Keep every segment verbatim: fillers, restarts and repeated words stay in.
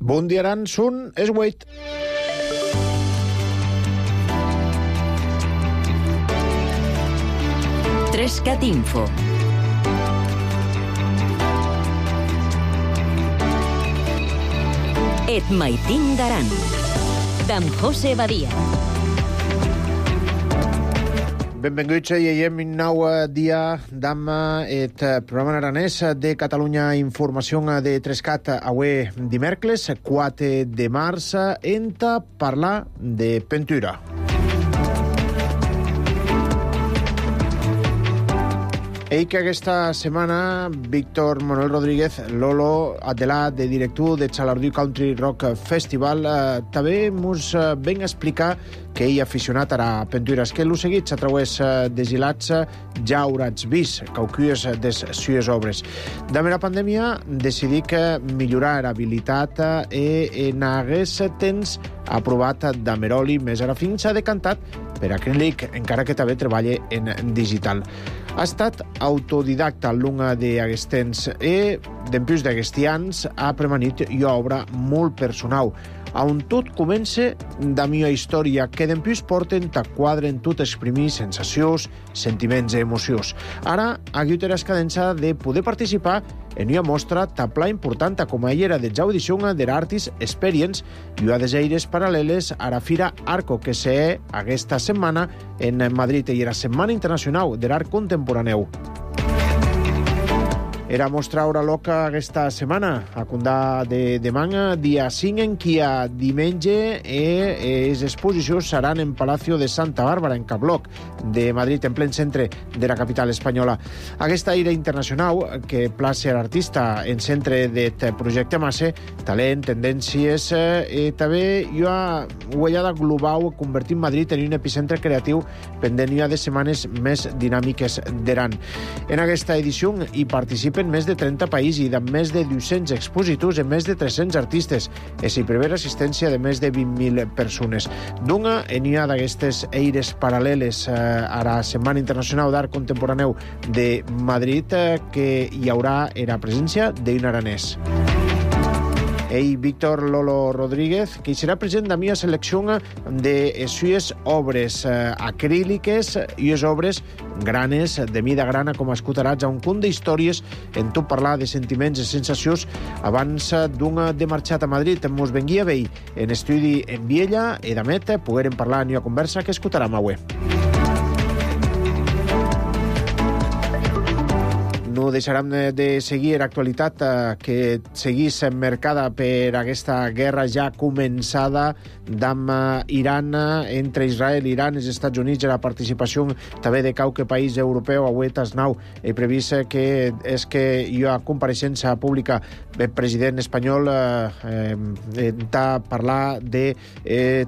Bon dia, Aran, són es vuit. Trescat Info. Et maitin d'Aran, d'en José Badia. Benvinguts i aiem un nou dia d'am et programa aranès de Catalunya Informació de Trescat avui dimecres, quatre de març, enta parlar de pintura. Ell que aquesta setmana Víctor Manuel Rodríguez, Lolo Adelà, de director de Xalardú Country Rock Festival, eh, també mos eh, ven a explicar que ell aficionat a la pintura. És que l'ho seguits a través eh, desilats ja haurats vist caucues des sues obres. Damb la pandèmia decidí que millorar l'habilitat eh, en hagués temps aprovat d'Ameroli, més ara fins s'ha decantat per acrílic, encara que també treballa en digital. Ha estat autodidacta al long d'aquest temps i, d'empús d'aquests anys, ha premanit una obra molt personal, on tot comença da mia història, que d'empús porten ta quadre en tot exprimir sensacions, sentiments i emocions. Ara, aquí té l'escadença de poder participar en una mostra tan pla important com ella era de ja edició de l'Artist Experience i una des aires paral·leles a la Fira Arco, que se aquesta setmana en Madrid i la Setmana Internacional de l'Art Contemporàneu. Era mostra Hora Loca aquesta setmana, a condà de demà, dia cinc, en qui a diumenge eh, les exposicions seran en Palacio de Santa Bàrbara, en Cabloc, de Madrid, en plen centre de la capital espanyola. Aquesta ira internacional que place a l'artista en centre d'aquest projecte massa, talent, tendències, eh, i també una ullada global convertint Madrid en un epicentre creatiu pendent una de setmanes més dinàmiques d'Aran. En aquesta edició hi participen més de trenta països i de més de dos-cents expositors i més de tres-cents artistes. I s'hi prevé l'assistència de més de vint mil persones. D'una, en una d'aquestes eires paral·leles eh, a la Setmana Internacional d'Art Contemporàneu de Madrid, eh, que hi haurà la presència d'un aranès. Ell, Víctor Lolo Rodríguez, que serà present de mi a selecció de sues obres eh, acríliques i les obres granes, de mida grana, com escoltaràs, a un conte d'històries en tot parlar de sentiments i sensacions abans d'una de marxat a Madrid. Mos venguia bé en estudi en Viella i d'amet poguérem parlar en una conversa que escoltarem avui. No deixarem de seguir l'actualitat que seguís emmarcada per aquesta guerra ja començada d'amb Iran, entre Israel, Iran i els Estats Units, i la participació també de qualque país europeu. Avui tasnau he previst que és que hi ha compareixença pública del president espanyol eh, de parlar de, eh,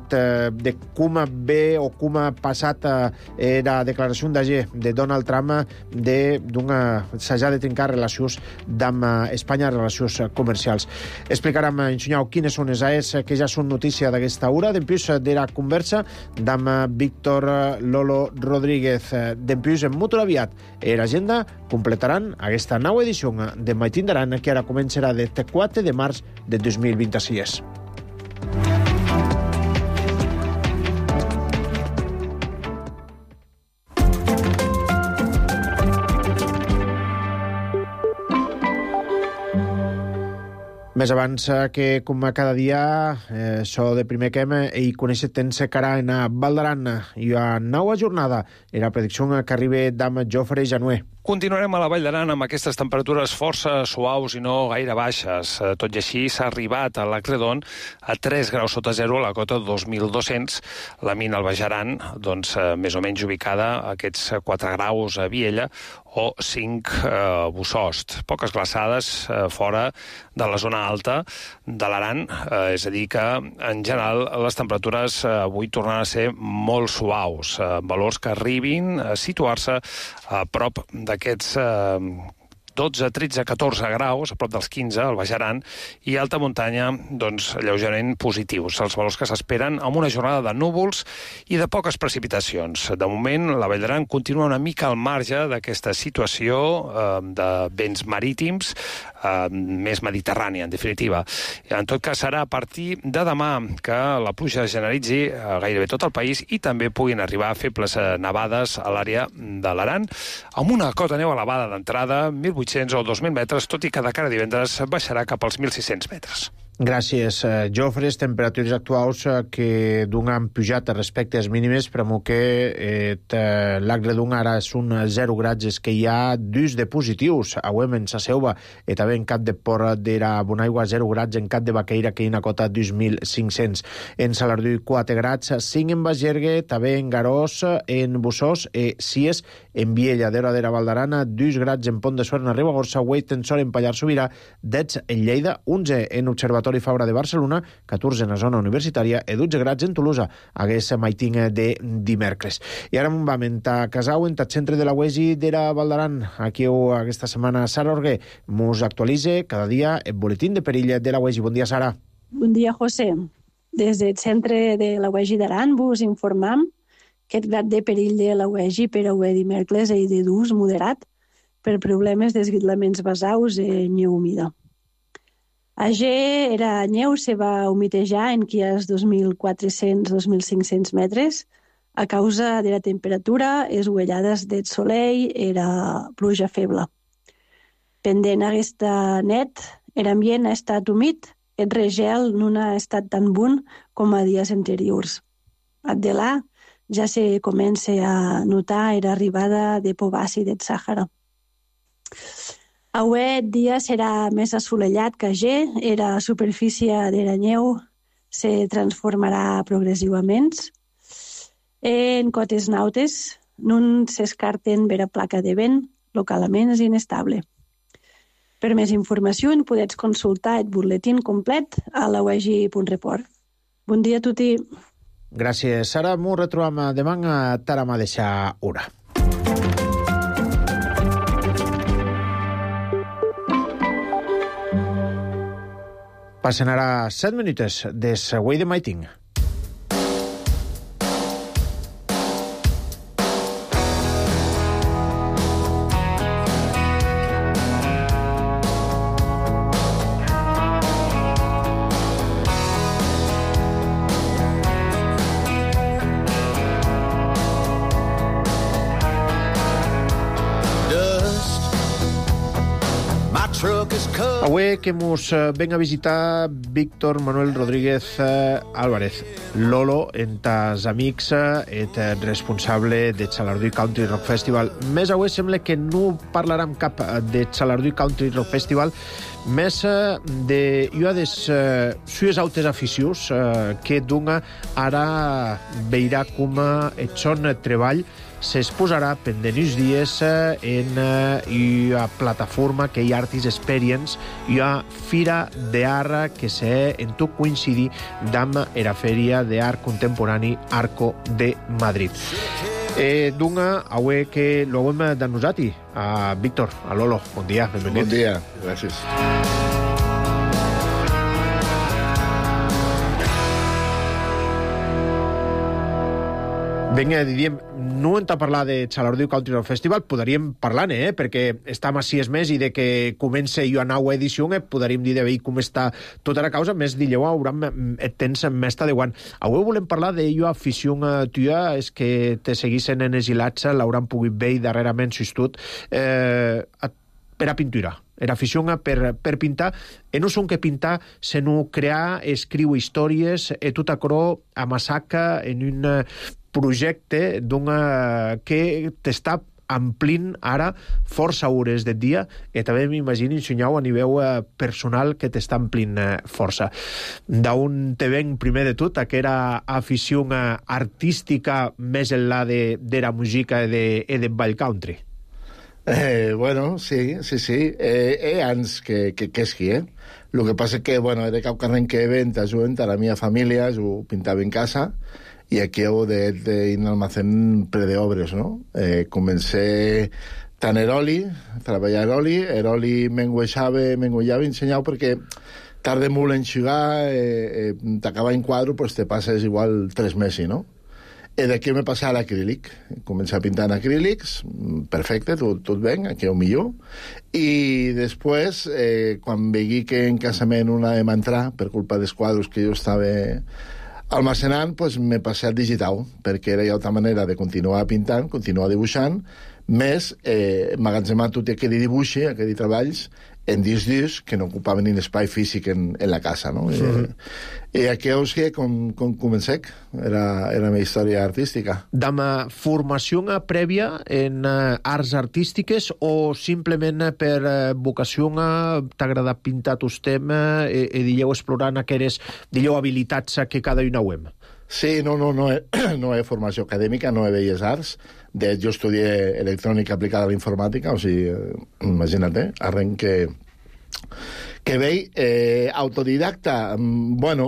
de com ve o com ha passat eh, la declaració d'ahir de Donald Trump de d'una s'ha de trencar relacions amb Espanya, relacions comercials. Explicarem, ensenyau, quines són les A E S que ja són notícia d'aquesta hora. D'empús de la conversa amb Víctor Lolo Rodríguez. D'empús, en molt aviat, l'agenda completaran aquesta nova edició de Maitin d'Aran, que ara començarà del quatre de març de dos mil vint-i-sis. Més abans que, com cada dia, eh, so de primer que hem, i conèixer tens cara en Val d'Aran i a nova jornada i la predicció que arriba d'am Jofre Januer. Continuarem a la Vall d'Aran amb aquestes temperatures força suaus i no gaire baixes. Tot i així, s'ha arribat a l'Acredon a tres graus sota zero a la cota dos mil dos-cents. La mina al Baix Aran, doncs, més o menys ubicada a aquests quatre graus a Viella o cinc a Bussost. Poques glaçades eh, fora de la zona alta de l'Aran, eh, és a dir que, en general, les temperatures eh, avui tornen a ser molt suaus, eh, valors que arribin a situar-se a prop d'aquests eh, dotze, tretze, catorze graus, a prop dels quinze, al Baix Aran, i alta muntanya, doncs, lleugerament positius. Els valors que s'esperen amb una jornada de núvols i de poques precipitacions. De moment, la Vall d'Aran continua una mica al marge d'aquesta situació eh, de vents marítims, eh, més mediterrània, en definitiva. En tot cas, serà a partir de demà que la pluja generalitzi a gairebé tot el país i també puguin arribar febles nevades a l'àrea de l'Aran, amb una cota neu elevada d'entrada, mil vuit-cents o dos mil metres, tot i que de cara a divendres baixarà cap als mil sis-cents metres. Gràcies, Jofres. Temperatures actuals que d'un han pujat respecte a les mínimes, però que eh, l'Agre d'un ara són zero grads, que hi ha dus de positius. Avui en sa Seuva, i també en Cap de Porra d'era Bonaigua, zero grads, en Cap de Baqueira, que hi ha una cota dos mil cinc-cents. En Salardú, quatre grads, cinc en Bagergue, també en Garós, en Bussós, i sis en Viella, d'Era d'era Val d'Aran, dos grads en Pont de Suert, en Ribagorça, vuit en Sort, en Pallars Sobirà, deu en Lleida, onze en Observatori Fabra de Barcelona, catorze en la zona universitària i dotze grads en Tolosa, hagués maiting de dimecres. I ara vam a Casau, en el centre de la U E S I d'era Val d'Aran. Aquí aquesta setmana Sara Orguer mos actualitza cada dia el boletín de perill de la U E S I. Bon dia, Sara. Bon dia, José. Des del centre de la U E S I d'Aran vos informam que el grad de perill de la U E S I per avui dimecres és de dos moderat per problemes d'esguitlaments basaus i neu humida. Ayer era neu se va humitejar en quies dos mil quatre-cents a dos mil cinc-cents metres a causa de la temperatura, les uellades del soleil era pluja feble. Pendent aquesta net, l'ambient ha estat humit, el regel no ha estat tan bon com a dies anteriors. De là ja se comença a notar l'arribada de povaci del Sàhara. Avui el dia serà més assolellat que ayer, la superfície de la neu se transformarà progressivament. En cotes nautes no s'escarten vera placa de vent, localment és inestable. Per més informació en podeu consultar el boletín complet a la u e s i punt report. Bon dia a tutti. Gràcies, Sara. M'ho retrobam demà a Tarama deixar hora. Passen ara set minuts des Way de Maiting. Avui que mos ven a visitar Víctor Manuel Rodríguez Álvarez, Lolo, en tas amics, et responsable de Salardú Country Rock Festival. Més avui sembla que no parlarem cap de Salardú Country Rock Festival, més de jo des sues altres aficions que d'una ara veurà com et son treball s'exposarà pendent uns dies en una plataforma que hi ha Artist Experience, hi ha Fira d'Art que s'ha en tot coincidir amb la Fèria d'Art Contemporani Arco de Madrid. Eh, D'una, avui que lo hem de nosaltres, a Víctor, a Lolo. Bon dia, benvingut. Bon dia, gràcies. Vinga, diríem, no hem de parlar de Salardú Country Rock Festival, podríem parlar-ne, eh? Perquè estem a sis mesos i de que comença jo a nova edició, eh? Podríem dir de veure com està tota la causa, més d'illeu hauran el temps més adequant. Avui volem parlar de jo afició tua, és que te seguissin en exilats, l'hauran pogut veure darrerament sustut, eh, per a pintura. Era afició per, per pintar, e no són que pintar, sinó crear, escriu històries, e tot acrò amassaca en un projecte que t'està amplint ara força hores del dia i també m'imagino ensenyau a nivell personal que t'està amplint força. D'on te ven primer de tot aquesta afició artística més enllà de, de la música i de, de ball country? Eh, bueno, sí, sí, sí. Eh, eh, ans que, que, que esqui, eh? El que passa que, bueno, era cap carrer que event, ajudant a la meva família, jo pintava en casa, i aquí heu d'ir al almacén ple d'obres, no? Eh, comencé tant Eroli, treballar Eroli, Eroli m'engueixava, m'engueixava ensenyau perquè tarda molt en xigar, eh, eh, t'acaba en quadro, pues te passes igual tres mesos, no? I d'aquí me passar a l'acrílic. Començar a pintar en acrílics, perfecte, tot, tot ben, aquí ho millor. I després, eh, quan vegui que en casament una de m'entrar, per culpa dels quadros que jo estava almacenant, pues me passé al digital, perquè era altra manera de continuar pintant, continuar dibuixant, més eh, emmagatzemar tot aquell dibuix, aquells treballs, en discs discs que no ocupaven ni l'espai físic en, en la casa, no? Sí. I, I aquí és que com, com comencé, era, era la meva història artística. Dama formació prèvia en uh, arts artístiques o simplement per uh, vocació t'agrada pintar tus temes i, i dilleu explorant aquelles, dilleu, habilitats que cada una ho hem? Sí, no, no, no, he, no he formació acadèmica, no he belles arts. De jo estudié electrònica aplicada a la informàtica, o sigui, imagina't, eh? Arrenc que, que veig. Eh, autodidacta, bueno,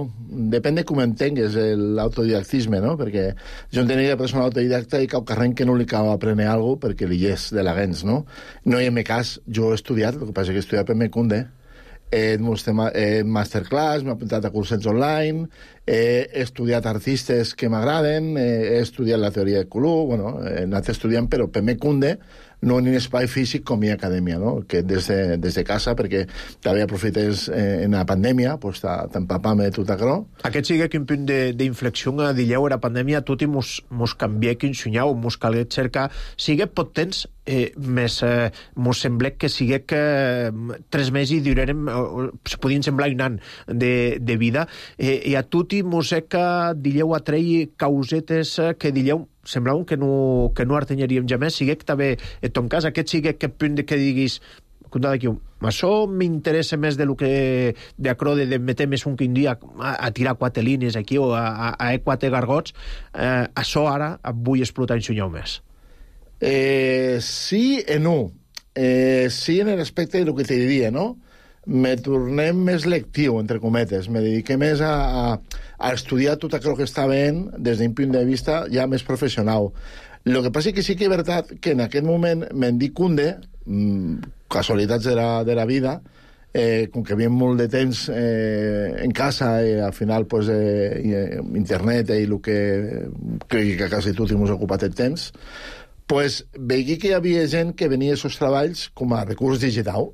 depèn de com entengues l'autodidactisme, no? Perquè jo entenia que persona autodidacta i que arrenc que no li cal aprendre alguna cosa perquè li és de la gens, no? No hi ha cas, jo he estudiat, el que passa que he estudiat per Mecunde, he eh, masterclass, m'he apuntat a cursets online, he estudiat artistes que m'agraden, he estudiat la teoria de color, bueno, he anat estudiant, però per Mecunde no en un espai físic com hi ha acadèmia, no? Que des de, des de casa, perquè també aprofites eh, en la pandèmia, pues, t'empapar-me tot això. Aquest sigue quin punt d'inflexió a dilleu era pandèmia, tot i mos, mos canvié quin sunyau, mos calgué cercar, sigue pot temps, eh, més eh, mos semblé que sigue que eh, tres mesos i durarem, eh, se podien semblar un an de, de vida, eh, i a tot i mos he que dilleu atrei causetes que dilleu semblava que no, que no artenyaríem ja més, sigue que també, en ton cas, aquest sigue que punt de que diguis, compte d'aquí, això m'interessa més de lo que de acro de, de meter més un quin dia a, a tirar quatre línies aquí o a, a, a quatre gargots, eh, això ara vull explotar en sunyau més. Eh, sí i no. Eh, sí en l'aspecte del que te diria, no? Me tornem més lectiu, entre cometes. Me dediqué més a, a, a estudiar tot allò que està ben des d'un punt de vista ja més professional. El que passa és que sí que és veritat que en aquest moment me'n dic Cunde, mmm, casualitats de la, de la vida, eh, com que havia molt de temps eh, en casa i al final pues, eh, internet i el que crec que quasi tot hemos ocupat el temps, pues, veig que hi havia gent que venia a aquests treballs com a recurs digital.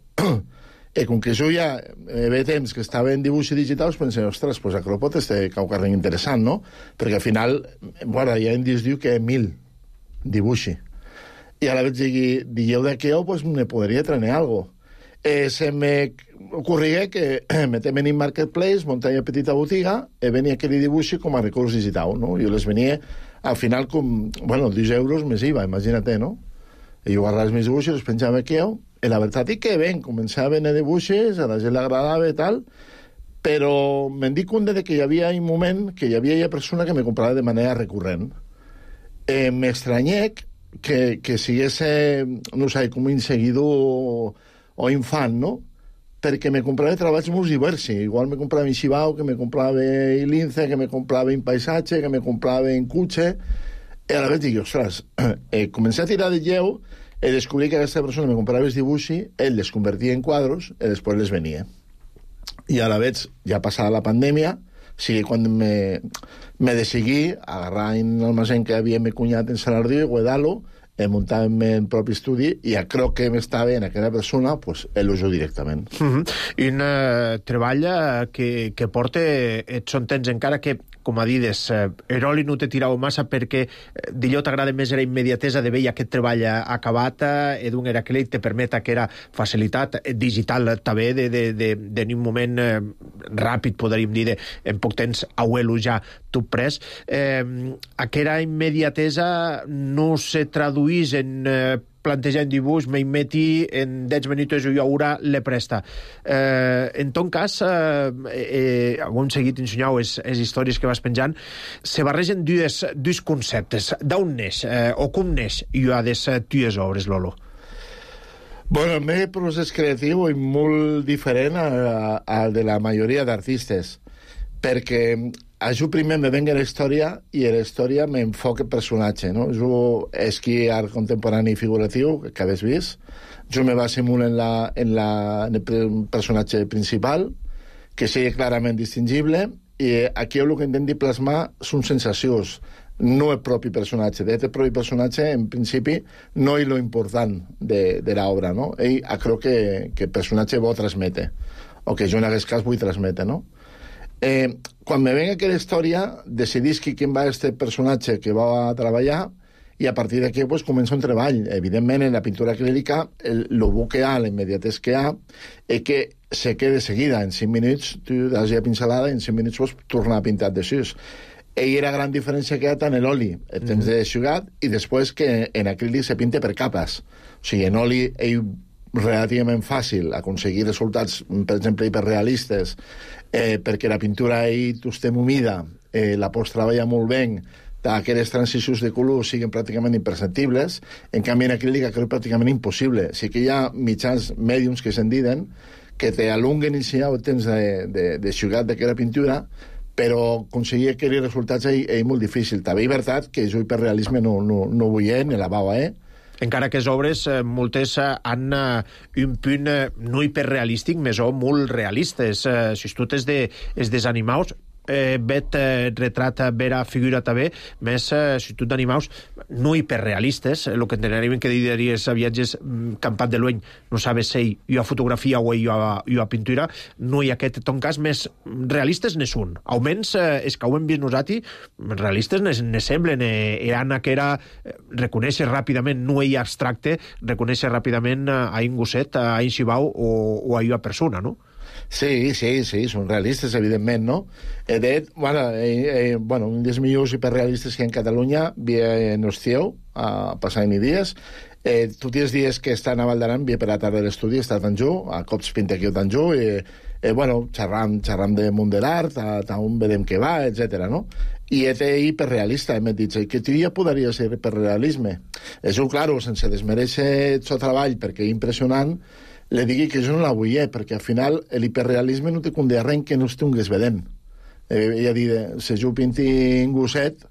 I com que jo ja eh, ve temps que estava en dibuix digital, us pensé, ostres, pues això pot ser quelcom interessant, no? Perquè al final, bueno, ja en disc diu que hi ha mil dibuixi. I a la vegada digui, digueu de què ho, pues me podria treure algo. Eh, se me ocorria que metem en Marketplace, muntar una petita botiga, i venia aquell dibuixi com a recurs digital, no? Jo les venia, al final, com, bueno, deu euros més I V A, imagina't, no? I jo agarrava els meus dibuixos, els penjava aquí, i la veritat és que ben, començava a venir dibuixos, a la gent l'agradava i tal, però me'n dic compte de que hi havia un moment que hi havia una persona que me comprava de manera recurrent. Eh, M'estranyec que, que sigués, no sé, com un seguidor o, o infant, no? Perquè me comprava treballs molt diversos. Igual me comprava en Xibao, que me comprava en Lince, que me comprava en Paisatge, que me comprava en Cutxe. I a la vegada dic, ostres, eh, comencé a tirar de lleu i descobrí que aquesta persona me comprava els dibuixos, ell les convertia en quadros i després les venia. I a la vegada, ja passada la pandèmia, sigui quan me, me decidí agarrar en l'almacén que havia me cunyat en Salardí, guardar-lo, eh, muntar-me el propi estudi i a crec que m'estava en aquella persona, pues, el·lujo directament. Mm-hmm. I un uh, treball que, que porta, et són temps encara que, com a dides, eh, Eroli no te tirava massa perquè eh, d'allò t'agrada més era immediatesa de veure aquest treball acabat eh, d'un era que te permeta que era facilitat eh, digital també de, de, de, de un moment eh, ràpid, podríem dir, de, en poc temps auelo ja tot pres. Eh, aquella immediatesa no se traduís en eh, plantejar un dibuix, me meti en deu minuts i haurà le presta. Eh, en ton cas, eh, eh, hem seguit ensenyant les històries que vas penjant, se barregen dues, dos conceptes. D'on neix, eh, o com neix i ha de ser tues obres, Lolo? Bueno, el meu procés creatiu és molt diferent al de la majoria d'artistes, perquè a jo primer me venga la història i a la història m'enfoca el personatge, no? Jo esquí art contemporani i figuratiu, que hagués vist. Jo me base molt en, la, en, la, en el personatge principal, que sigui clarament distingible, i aquí el que intenti plasmar són sensacions, no el propi personatge. De el propi personatge, en principi, no és lo important de, de l'obra, no? Ell creu que, que el personatge vol transmetre, o que jo en aquest cas vull transmetre, no? Eh, quan me venga aquella història, decidisc quin va este personatge que va a treballar, i a partir d'aquí pues, comença un treball. Evidentment, en la pintura acrílica, el, el bo que hi ha, l'immediatès que hi ha, és que se queda de seguida. En cinc minuts, tu has ja pincelada, i en cinc minuts pots tornar a pintar de sis. Ell era la gran diferència que hi ha tant en l'oli, el temps de xugat, i després que en acrílic se pinta per capes. O sigui, en oli, ell relativament fàcil aconseguir resultats, per exemple, hiperrealistes, eh, perquè la pintura ell tu estem humida, eh, la pots treballar molt bé, aquelles transicions de color siguin pràcticament imperceptibles, en canvi en acrílic és pràcticament impossible. Sí que hi ha mitjans mèdiums que se'n diuen que te alunguen i si el temps de, de, de xugat d'aquella pintura, però aconseguir aquells resultats és, és molt difícil. També és veritat que jo hiperrealisme no, no, no vull, eh, ni la bava, eh? Encara que les obres, eh, moltes eh, han eh, un punt eh, no hiperrealístic, més o molt realistes. Eh, si tu tens de, es dels animals, eh, vet eh, retrat vera figura també, més eh, si tu d'animaus no hiperrealistes, el que entenaríem que diries a viatges mm, campat de l'ueny, no sabes si hi ha fotografia o hi ha, hi ha pintura, no hi ha aquest ton cas més realistes ne són. Almenys eh, és que ho hem vist nosaltres, realistes ne, ne semblen, eh, eh, Anna que era eh, reconèixer ràpidament, no ell abstracte, reconèixer ràpidament eh, a un gosset, a un xibau o, o a una persona, no? Sí, sí, sí, són realistes, evidentment, no? Eh, de fet, bueno, eh, eh, bueno, un dels millors hiperrealistes que hi ha en Catalunya via en Ostieu, a passar ni dies. Eh, tots els dies que està a Val d'Aran, via per la tarda de l'estudi, està a Tanjó, a cops pinta aquí a Tanjó, i, eh, bueno, xerram, xerram de món de l'art, a, a on vedem què va, etcètera, no? I és hiperrealista, m'he dit, que tu ja podria ser hiperrealisme. Això, claro, sense desmereixer el seu treball, perquè és impressionant, le digui que jo no la vull, eh, perquè al final l'hiperrealisme no té condé res que no estongues vedent. Eh, ja dir, si jo pinti un gosset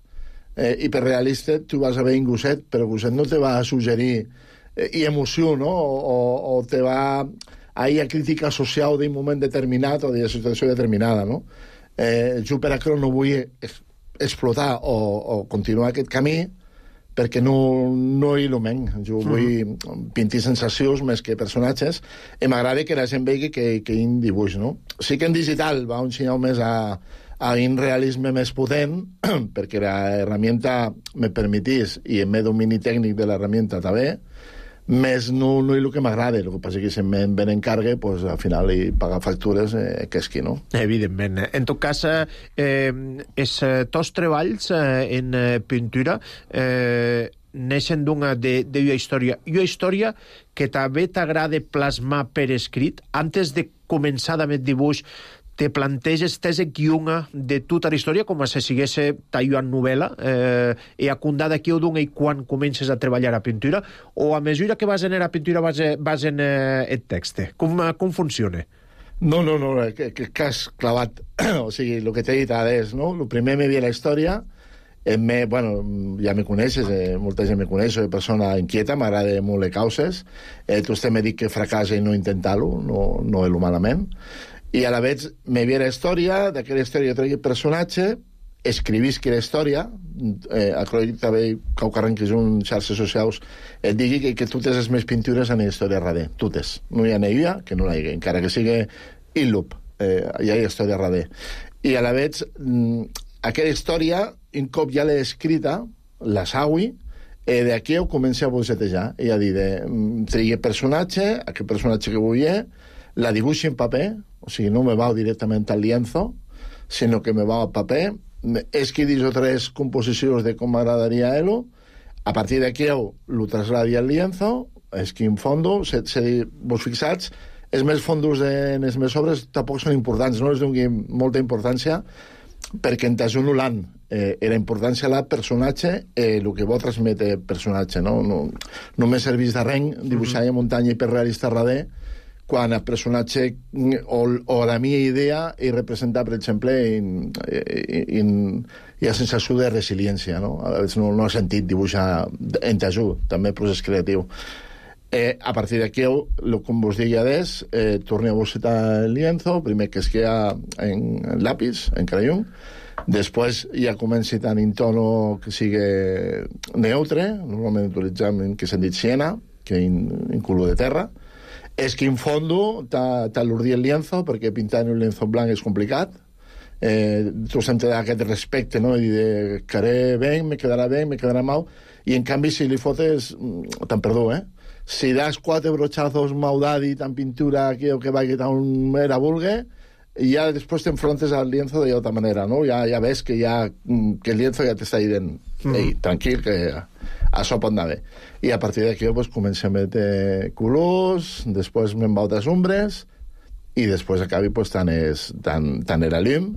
eh, hiperrealista, tu vas a veure un gosset, però el gosset no te va a suggerir eh, i emoció, no? O, o te va a ir a crítica social d'un moment determinat o d'una situació determinada, no? Eh, jo per això no vull explotar o, o continuar aquest camí, perquè no, no il·lumen. Jo vull pintar sensacions més que personatges, i m'agrada que la gent vegi que, que hi ha un dibuix, no? Sí que en digital va un senyal més a, a un realisme més potent, perquè l'herramienta me permetís, i en meu domini tècnic de l'herramienta també, més no, no és el que m'agrada. El que passa que si em ven en carga, pues, al final i pagar factures eh, que és qui, no? Evidentment. En tot cas, eh, els tots treballs eh, en pintura eh, neixen d'una d'una història. I una història que també t'agrada plasmar per escrit, antes de començar amb el dibuix, te planteges tes guiona de tota la història com si sigués tallant novel·la eh, i acundar d'aquí o d'un i quan comences a treballar a pintura, o a mesura que vas en la pintura vas, vas en eh, el text? Com, com funciona? No, no, no, que, que, que has clavat. O sigui, el que t'he dit ara és, no? El primer me vi la història, eh, me, bueno, ja me coneixes, eh, molta gent me coneix, soy persona inquieta, m'agrada molt les causes, eh, tu estem me dit que fracassa i no intentar-lo, no, no és malament. I a la vegada me vi la història, d'aquella història jo tregui el personatge, escrivisc la història, eh, a Croix també, que ho carrenquis un xarxes socials, et digui que, que totes les més pintures han història darrere, totes. No hi ha neia, que no la hi ha, encara que sigui il·lup, eh, hi ha història darrere. I a la vegada, aquella història, un cop ja l'he escrita, la saui, eh, d'aquí ho comença a bocetejar, i a dir, tregui el personatge, aquest personatge que vull, la dibuixi en paper, o sigui, no me va directament al lienzo, sinó que me va al paper, escrivís o tres composicions de com m'agradaria ell-ho, a partir d'aquí ho trasladi al lienzo, escriu un fondo, se, se, vos fixats, els més fondos en les meves obres tampoc són importants, no els doni molta importància, perquè en t'ajuno l'han. Eh, la importància a la personatge, eh, el que vol transmetre el personatge, no? No, no me serveix de res dibuixar mm-hmm. muntanya hiperrealista darrere, quan el personatge o, o la meva idea és representar, per exemple, in, in, in la sensació de resiliència, no? A vegades no, no ha sentit dibuixar en t'ajut, també el procés creatiu. Eh, a partir d'aquí, com vos deia des, eh, torneu a bocetar el lienzo, primer que es queda en, en lápiz, en crayón, després ja comenci tant en tono que sigui neutre, normalment utilitzem que s'han dit siena, que en, en color de terra. És que en fondo t'al·lurdir el lienzo, perquè pintar un lienzo blanc és complicat. Eh, tu sempre te aquest respecte, no? I dir, quedaré bé, me quedarà bé, me quedarà mal. I en canvi, si li fotes, te'n perdó, eh? Si das quatre brochazos maudadi, tan pintura que, que vagi tan era vulgue, i ja després t'enfrontes al lienzo de otra manera, no? Ja, ja ves que, ja, que el lienzo ja t'està dient ei, mm. tranquil, que això pot anar bé. I a partir d'aquí pues, comencem a meter colors, després me'n va altres ombres, i després acabi pues, tant, és, tant, tant era llum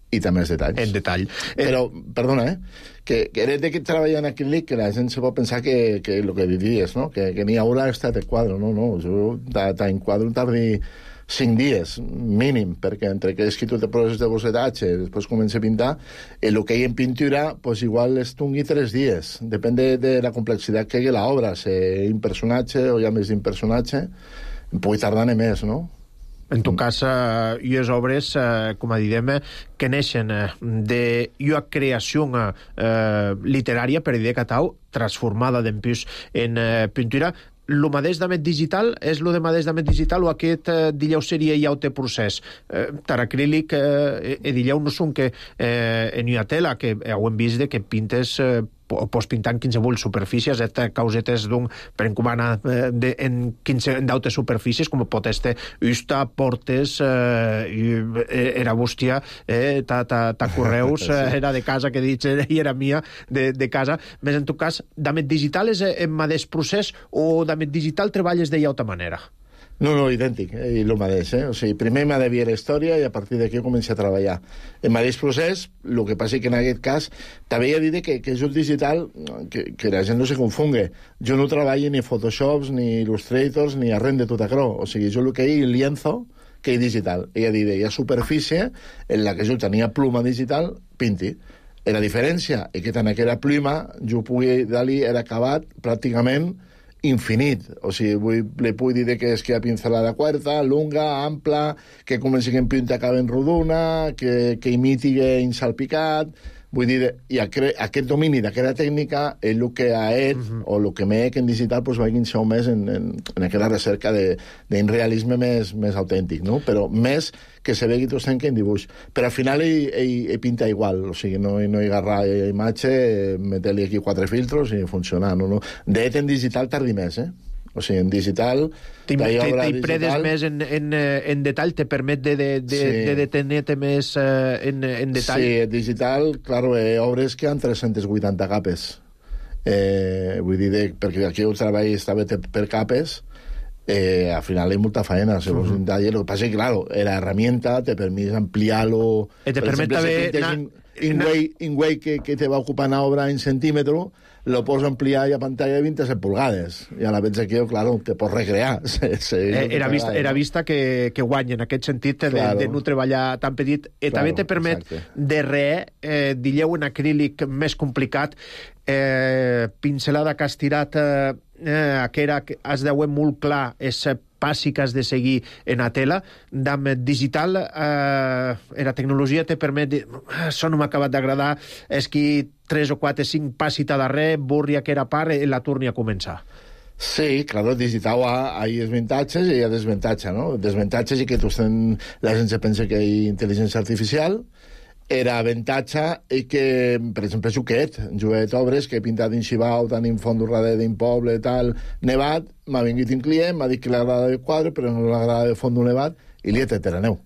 i també els detalls. En detall. Però, perdona, eh? Que, que eres de que treballa en acrílic, que la gent se pot pensar que, que lo que diries, no? Que, que ni haurà estat el quadre, no, no. Jo t'enquadro tardi cinc dies, mínim, perquè entre que és que tu te poses de bocetatge, després comença a pintar, el que hi ha en pintura, pues igual es tungui tres dies. Depèn de, de la complexitat que hi ha l'obra, si un personatge o hi ha més d'un personatge, pugui tardar més, no? En tot cas, eh, i les obres, eh, com a direm, que neixen eh, de una creació eh, literària, per dir catau, transformada d'empús en eh, pintura. Lo mateix d'amet digital és lo de mateix d'amet digital o aquest eh, dilleu seria ja el procés? Eh, tar acrílic eh, e dilleu no són que eh, en una tela, que ho hem vist de que pintes eh, o pots pintar en qualsevol superfícies, estas causetes d'un per encomana eh, de, en quinze d'autes superfícies, com pot este usta, portes, eh, i, era bústia, eh, ta, ta, ta correus, sí. eh, era de casa, que dic, i era mia, de, de casa. Més en tot cas, d'amet digital és en mateix procés o d'amet digital treballes d'ella altra manera? No, no, idèntic, eh? I el mateix, eh? O sigui, primer m'ha de veure la història i a partir d'aquí començo a treballar. El mateix procés, el que passa que en aquest cas també he dit que, que és un digital que, que la gent no se confongue. Jo no treballo ni Photoshops, ni Illustrators, ni arren de tot això. O sigui, jo el que hi ha lienzo, que hi digital. Ella dit, hi ha superfície en la que jo tenia pluma digital, pinti. La diferència és que tant aquella pluma jo pugui dar-li era acabat pràcticament infinit, o sigui, vull, li puc dir que és que hi ha pincelada quarta, lunga, ampla, que comenci que en pinta acabe en rodona, que, que imiti insalpicat, vull dir, i aquest, aquest domini d'aquesta tècnica és el que ha et, uh-huh. o el que m'he en digital, pues, vagin ser més en, en, en aquesta recerca d'un realisme més, més autèntic, no? Però més que se vegi tot que en dibuix. Però al final hi, hi, hi pinta igual, o sigui, no, no hi agarrar imatge, meter-li aquí quatre filtros i funcionar, no? no. De en digital tardi més, eh? O sigui, en digital... T'hi predes més en, en, en detall, te permet de, de, de, sí. de detenir-te més uh, en, en detall? Sí, en digital, claro, eh, obres que han tres-centes vuitanta capes. Eh, vull dir, de, perquè aquí el treball estava per capes, eh, al final hay mucha faena, se uh-huh. un taller. Lo que pasa es que, claro, la herramienta te permite ampliarlo. Eh, te permite ver... In way que, que te va ocupar una obra en centímetro, lo pots ampliar a pantalla de vint-i-set pulgades. I a la vez aquí, claro, te pots recrear. Sí, sí, eh, era, vista, era vista que, que guanya en aquest sentit de, claro. de no treballar tan petit. I claro, també te permet exacte. de re, eh, dilleu en acrílic més complicat, eh, pincelada que has tirat, eh, eh, que era, has de veure molt clar, és passi que has de seguir en la tela. D'am digital, eh, la tecnologia te permet dir, això no m'ha acabat d'agradar, és que tres o quatre, cinc passi a darrere, borri aquella part i la torni a començar. Sí, claro, el digital ha, ha desvantatges i hi ha desvantatge, no? Desvantatges i que tu ten, la gent se pensa que hi ha intel·ligència artificial. Era avantatge i que, per exemple, Juquet, Juquet Obres, que he pintat en Xibau, tant en fons darrere d'un poble, tal, nevat, m'ha vingut un client, m'ha dit que li agrada el quadre, però no li agrada el fons d'un nevat, i li he tret la neu.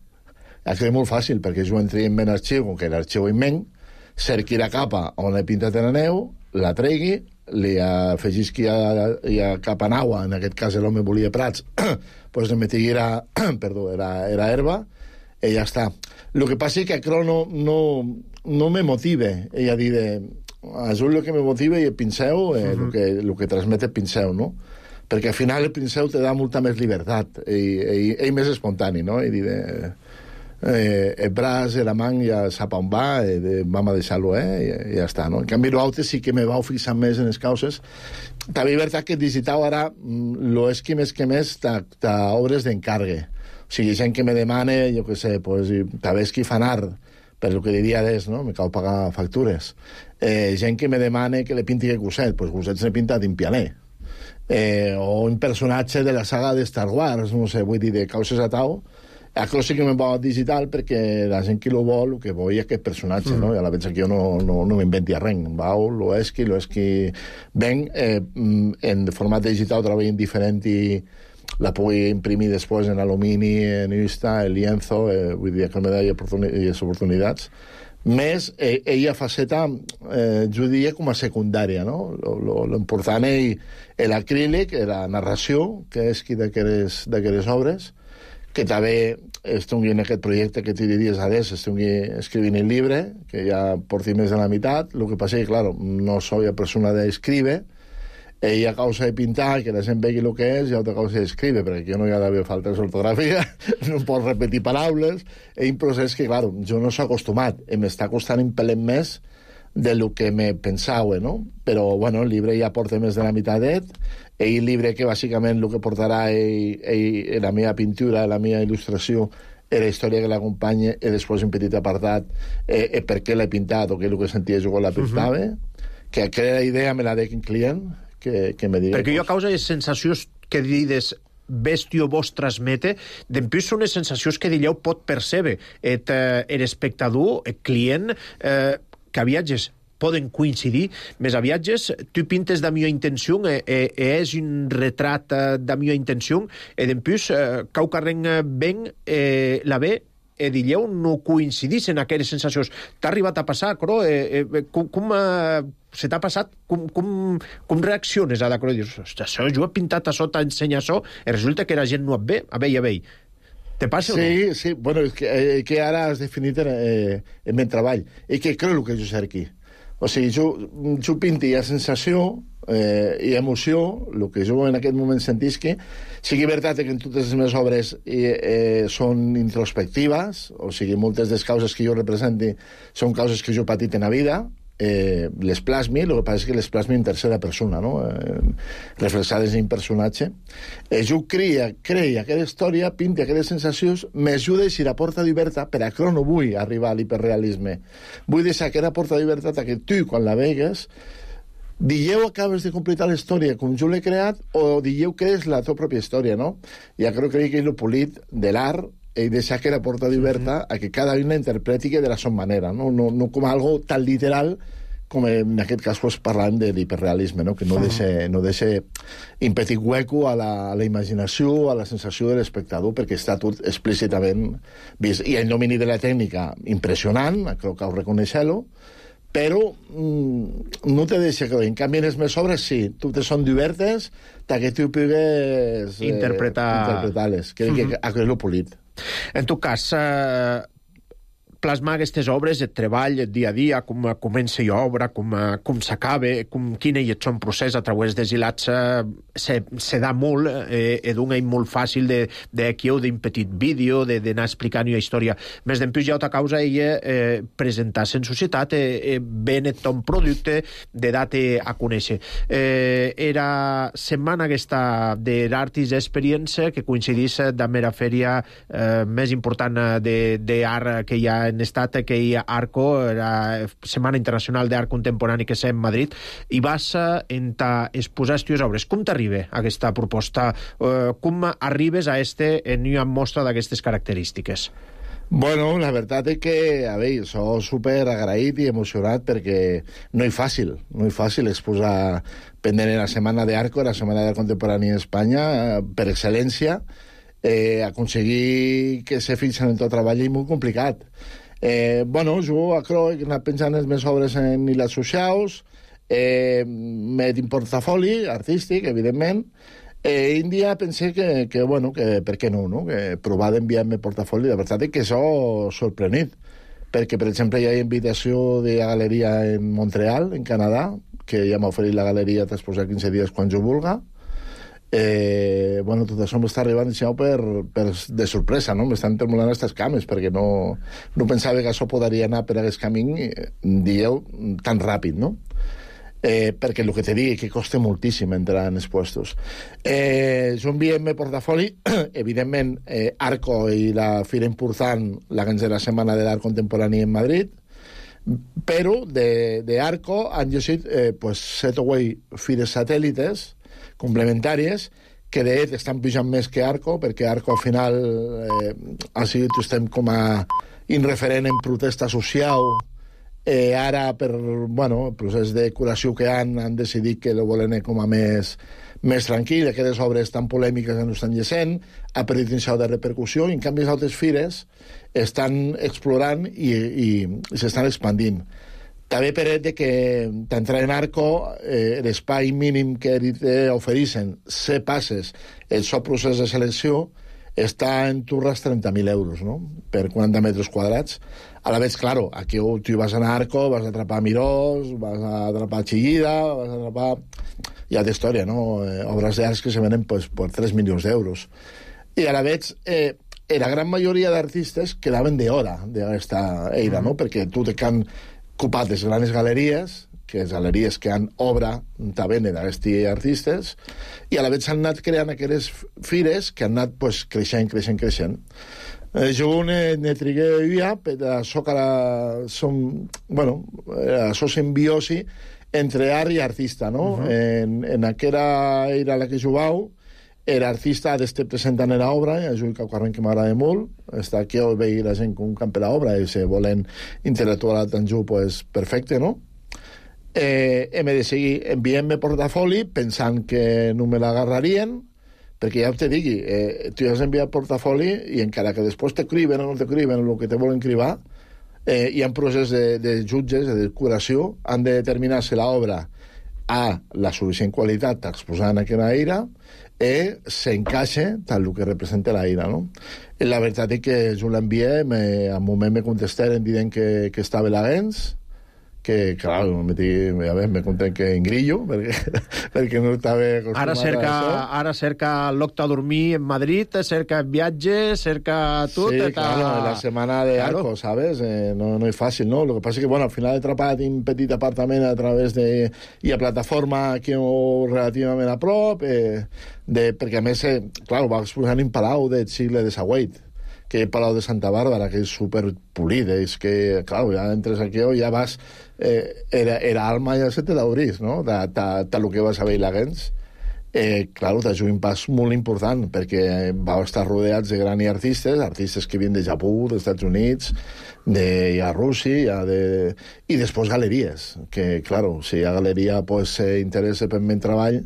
Això és molt fàcil, perquè jo entri en ben arxiu, com que l'arxiu immens, cerqui la capa on he pintat la neu, la tregui, li afegisqui a, a capa nagua, en aquest cas l'home volia prats, doncs li metigui era, perdó, era, era herba, i ja està. El que passa és que això no, no, no me motive. Ella diu, això és el que me motiva i el pinceu, eh, uh-huh. el, que, el que transmet el pinceu, no? perquè al final el Princeu te da molta més llibertat, i, i, ell més espontani, no? I dir, eh, eh, el braç, la mà ja sap on va, eh, de, vam a deixar-lo, eh, i, i ja està, no? En canvi, l'altre sí que me vau fixar més en les causes. També és veritat que digital ara, lo és que més que més t'obres d'encargue. O sigui, gent que me demana, jo què sé, pues, també és qui fan art, per el que diria és, no? Me cal pagar factures. Eh, gent que me demana que le pinti que Gosset, pues Gosset s'ha pintat en pianer. Eh, o un personatge de la saga de Star Wars, no sé, vull dir, de causes a tau. Això sí que me'n va digital perquè la gent que lo vol, el que vol és aquest personatge, mm. no? I a la vegada que jo no, no, no m'inventi res. Vau, lo esqui, lo esqui... Ben, eh, en format digital treballen diferent i la pugui imprimir després en alumini, en Insta, en lienzo, eh, vull dir que me da oportunitats. Més, eh, ella faceta, eh, jo diria com a secundària, no? L'important és l'acrílic, la narració, que és qui d'aquestes obres, que també estigui en aquest projecte que t'hi diries ara, estigui escrivint el llibre, que ja porti més de la meitat. El que passa és que, clar, no soy la persona d'escriure, ella a causa de pintar, que la gent vegi el que és, i a altra causa d'escriure, perquè jo no hi ha d'haver faltes d'ortografia, no pot repetir paraules, és un procés que, clar, jo no s'ha acostumat, i m'està costant un pelet més de lo que me pensava, no? Però, bueno, el llibre ja porta més de la meitat, i el llibre que, bàsicament, el que portarà ell, ell, la meva pintura, la meva il·lustració, és la història que l'acompanya, i després un petit apartat, eh, eh, per què l'he pintat, o què és el que sentia jo quan la pintava, uh-huh. que aquella idea me la dec un client, que, que me digui... Perquè jo a causa de sensacions que dides bèstio vos transmete, d'empús són les sensacions que dilleu pot percebre et, eh, el espectador, el client, eh, que a viatges poden coincidir, més a viatges tu pintes da mia intenció, e, e, e és un retrat da mia intenció, e d'empús eh, cau carren ben eh, la ve e dilleu no coincidís en aquelles sensacions. T'ha arribat a passar, Cro? Eh, eh, com, com eh, se t'ha passat? Com, com, com reacciones a la Cro? Dius, això, jo he pintat això, t'ensenya això, i resulta que la gent no et ve, a veure, a veure. Te passa sí, o no? Sí, sí. Bueno, és que, eh, que ara has definit en, eh, en el treball. I que crec el que jo sé aquí. O sigui, jo, jo pinti la sensació eh, i emoció, el que jo en aquest moment sentis que sigui veritat que en totes les meves obres eh, eh, són introspectives, o sigui, moltes de les causes que jo representi són causes que jo he patit en la vida, eh, les plasmi, el que passa és que les plasmi en tercera persona, no? Eh, reflexades en un personatge. Eh, jo creia, creia aquella història, pinti aquelles sensacions, m'ajuda si la porta d'oberta, per a que no vull arribar a l'hiperrealisme. Vull deixar aquella porta d'oberta que tu, quan la vegues, digueu acabes de completar la història com jo l'he creat, o digueu que és la teva pròpia història, no? Ja crec que és el polit de l'art, i deixar que la porta d'oberta a que cada un la interpreti de la seva manera, no, no, no com algo tan literal com en aquest cas pues, parlant de l'hiperrealisme, no? Que no deixa, no deixa un petit hueco a la, a la imaginació, a la sensació de l'espectador, perquè està tot explícitament vist. I el domini de la tècnica impressionant, crec que ho reconeixeu, però mm, no te deixa que... En canvi, en les meves obres, sí, totes són diverses, que tu pugues eh, interpretar... interpretar-les. Crec que uh-huh. que és lo polit. En tot cas, eh, plasmar aquestes obres, el treball, el dia a dia, com comença l'obra, com, com s'acaba, com quin és el seu procés a través dels hilats, se, se da molt, eh, és un eina molt fàcil de, de aquí o d'un petit vídeo, d'anar explicant una història. Més d'empús hi ha altra causa, ella eh, presentar-se en societat, eh, ben et ton producte, de date a conèixer. Eh, era setmana aquesta de l'Artist Experience, que coincidís amb la fèria eh, més important d'art que hi ha en estat, que hi ha Arco, la Setmana Internacional d'Art Contemporani que s'ha en Madrid, i vas en ta exposar les teves obres. Com t'arriba aquesta proposta? Eh, com arribes a este en una mostra d'aquestes característiques? Bueno, la veritat és que, a veure, soc super agraït i emocionat perquè no és fàcil, no és fàcil exposar pendent en la Setmana d'Arco, la Setmana d'Art Contemporani en Espanya, per excel·lència. Eh, aconseguir que se fixen en tot treball és molt complicat. Eh, bueno, jo crec que he anat pensant les meves obres en les socials, eh, m'he d'un portafoli artístic, evidentment, eh, un dia pensé que, que, bueno, que per què no, no? Que provar d'enviar-me portafoli, de veritat és que soc sorprenit, perquè, per exemple, hi ha invitació de la galeria en Montreal, en Canadà, que ja m'ha oferit la galeria d'exposar quinze dies quan jo vulga. Eh, bueno, tot això m'està arribant per, per, de sorpresa, no? M'estan tremolant aquestes cames, perquè no, no pensava que això podria anar per aquest camí, dieu, tan ràpid, no? Eh, perquè el que te digui que costa moltíssim entrar en els puestos. Eh, jo enviem el portafoli, evidentment, eh, Arco i la fira important, la ganzera setmana de l'art contemporani en Madrid, però de, de Arco han llegit eh, pues, set o vuit fires satèl·lites complementàries que de fet estan pujant més que Arco, perquè Arco al final eh, ha sigut, estem com a inreferent en protesta social. Eh, ara, per bueno, el procés de curació que han, han decidit que lo volen com a més, més tranquil, aquestes obres tan polèmiques que no estan llegint, ha perdut un xau de repercussió, i en canvi les altres fires estan explorant i, i, i s'estan expandint. També per de que t'entrar en Arco, eh, l'espai mínim que ofereixen, set passes, el seu procés de selecció, està en turres trenta mil euros, no?, per quaranta metres quadrats. A la vez, claro, aquí tu vas anar a Arco, vas a atrapar Mirós, vas a atrapar Chillida, vas a atrapar... Hi ha d'història, no?, eh, obres d'arts que se venen pues, per tres milions d'euros. I a la vez, eh, la gran majoria d'artistes quedaven d'hora d'aquesta eira, no?, perquè tu te can ocupat les grans galeries, que les galeries que han obra també d'aquests artistes, i a la vegada s'han anat creant aquestes fires que han anat pues, creixent, creixent, creixent. Eh, jo ne, ne trigué ja, per això que ara som, bueno, això simbiosi entre art i artista, no? Uh-huh. En, en aquella era la que jugau, era artista d'este presentant l'obra, és un carrer que m'agrada molt, està aquí a veure la gent com campa l'obra, i si volen intel·lectual tant jo, pues, perfecte, no? Eh, hem de seguir, enviem-me portafoli pensant que no me l'agarrarien, perquè ja te digui, eh, tu has enviat portafoli i encara que després t'escriben o no t'escriben el que te volen cribar, eh, hi ha un procés de, de jutges, de curació, han de determinar si l'obra ha la suficient qualitat exposant aquella ira i s'encaixa tal el que representa la ira, no? I la veritat és que jo l'envié, al moment me contestaren dient que, que estava l'agens, que, clar, me, a veure, me conten que en grillo, perquè, perquè no estava acostumat ara cerca, a això. Ara cerca l'octa a dormir en Madrid, cerca viatge, cerca tot. Sí, eta... claro, la setmana de claro. Arco, ¿sabes? Eh, no, no és fàcil, ¿no? Lo que pasa es que, bueno, al final he atrapat un petit apartament a través de... i a plataforma aquí relativament a prop, eh, de, perquè a més, eh, clar, va exposar un palau del segle de Sagüeit, que és Palau de Santa Bàrbara, que és superpolit, és que, clar, ja entres aquí o ja vas... Eh, era, era alma ja se te l'obrís, no?, de, de, de lo que vas a veure la gens. Eh, clar, t'ha un pas molt important, perquè va estar rodeats de grans artistes, artistes que vien de Japó, dels Estats Units, de ja Rússia, de... i després galeries, que, clar, si hi ha galeria pues, s'interessa per meu treball,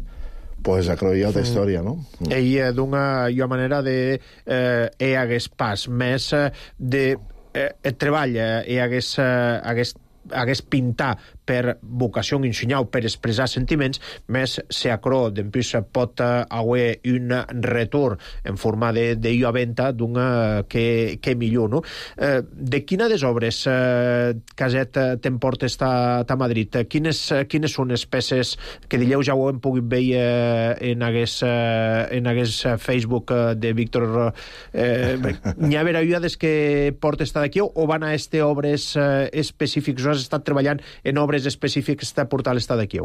pues acroia altra història, no? Mm. Ell, d'una jo manera de... Eh, hi hagués pas més eh, de... Eh, el treball, eh, hi hagués... Eh, hagués hagués pintar per vocació ensenyar per expressar sentiments, més se acro d'empús pot haver un retorn en forma de, de jo a venda d'un que, que millor, no? Eh, de quina des obres eh, Caset t'emportes a, a Madrid? Quines, quines són les peces que dileu ja ho hem pogut veure en hagués, en hagués Facebook de Víctor? Eh, n'hi ha veriades que portes d'aquí o van a este obres eh, específics? Has estat treballant en obres específics de portar l'estat d'aquí?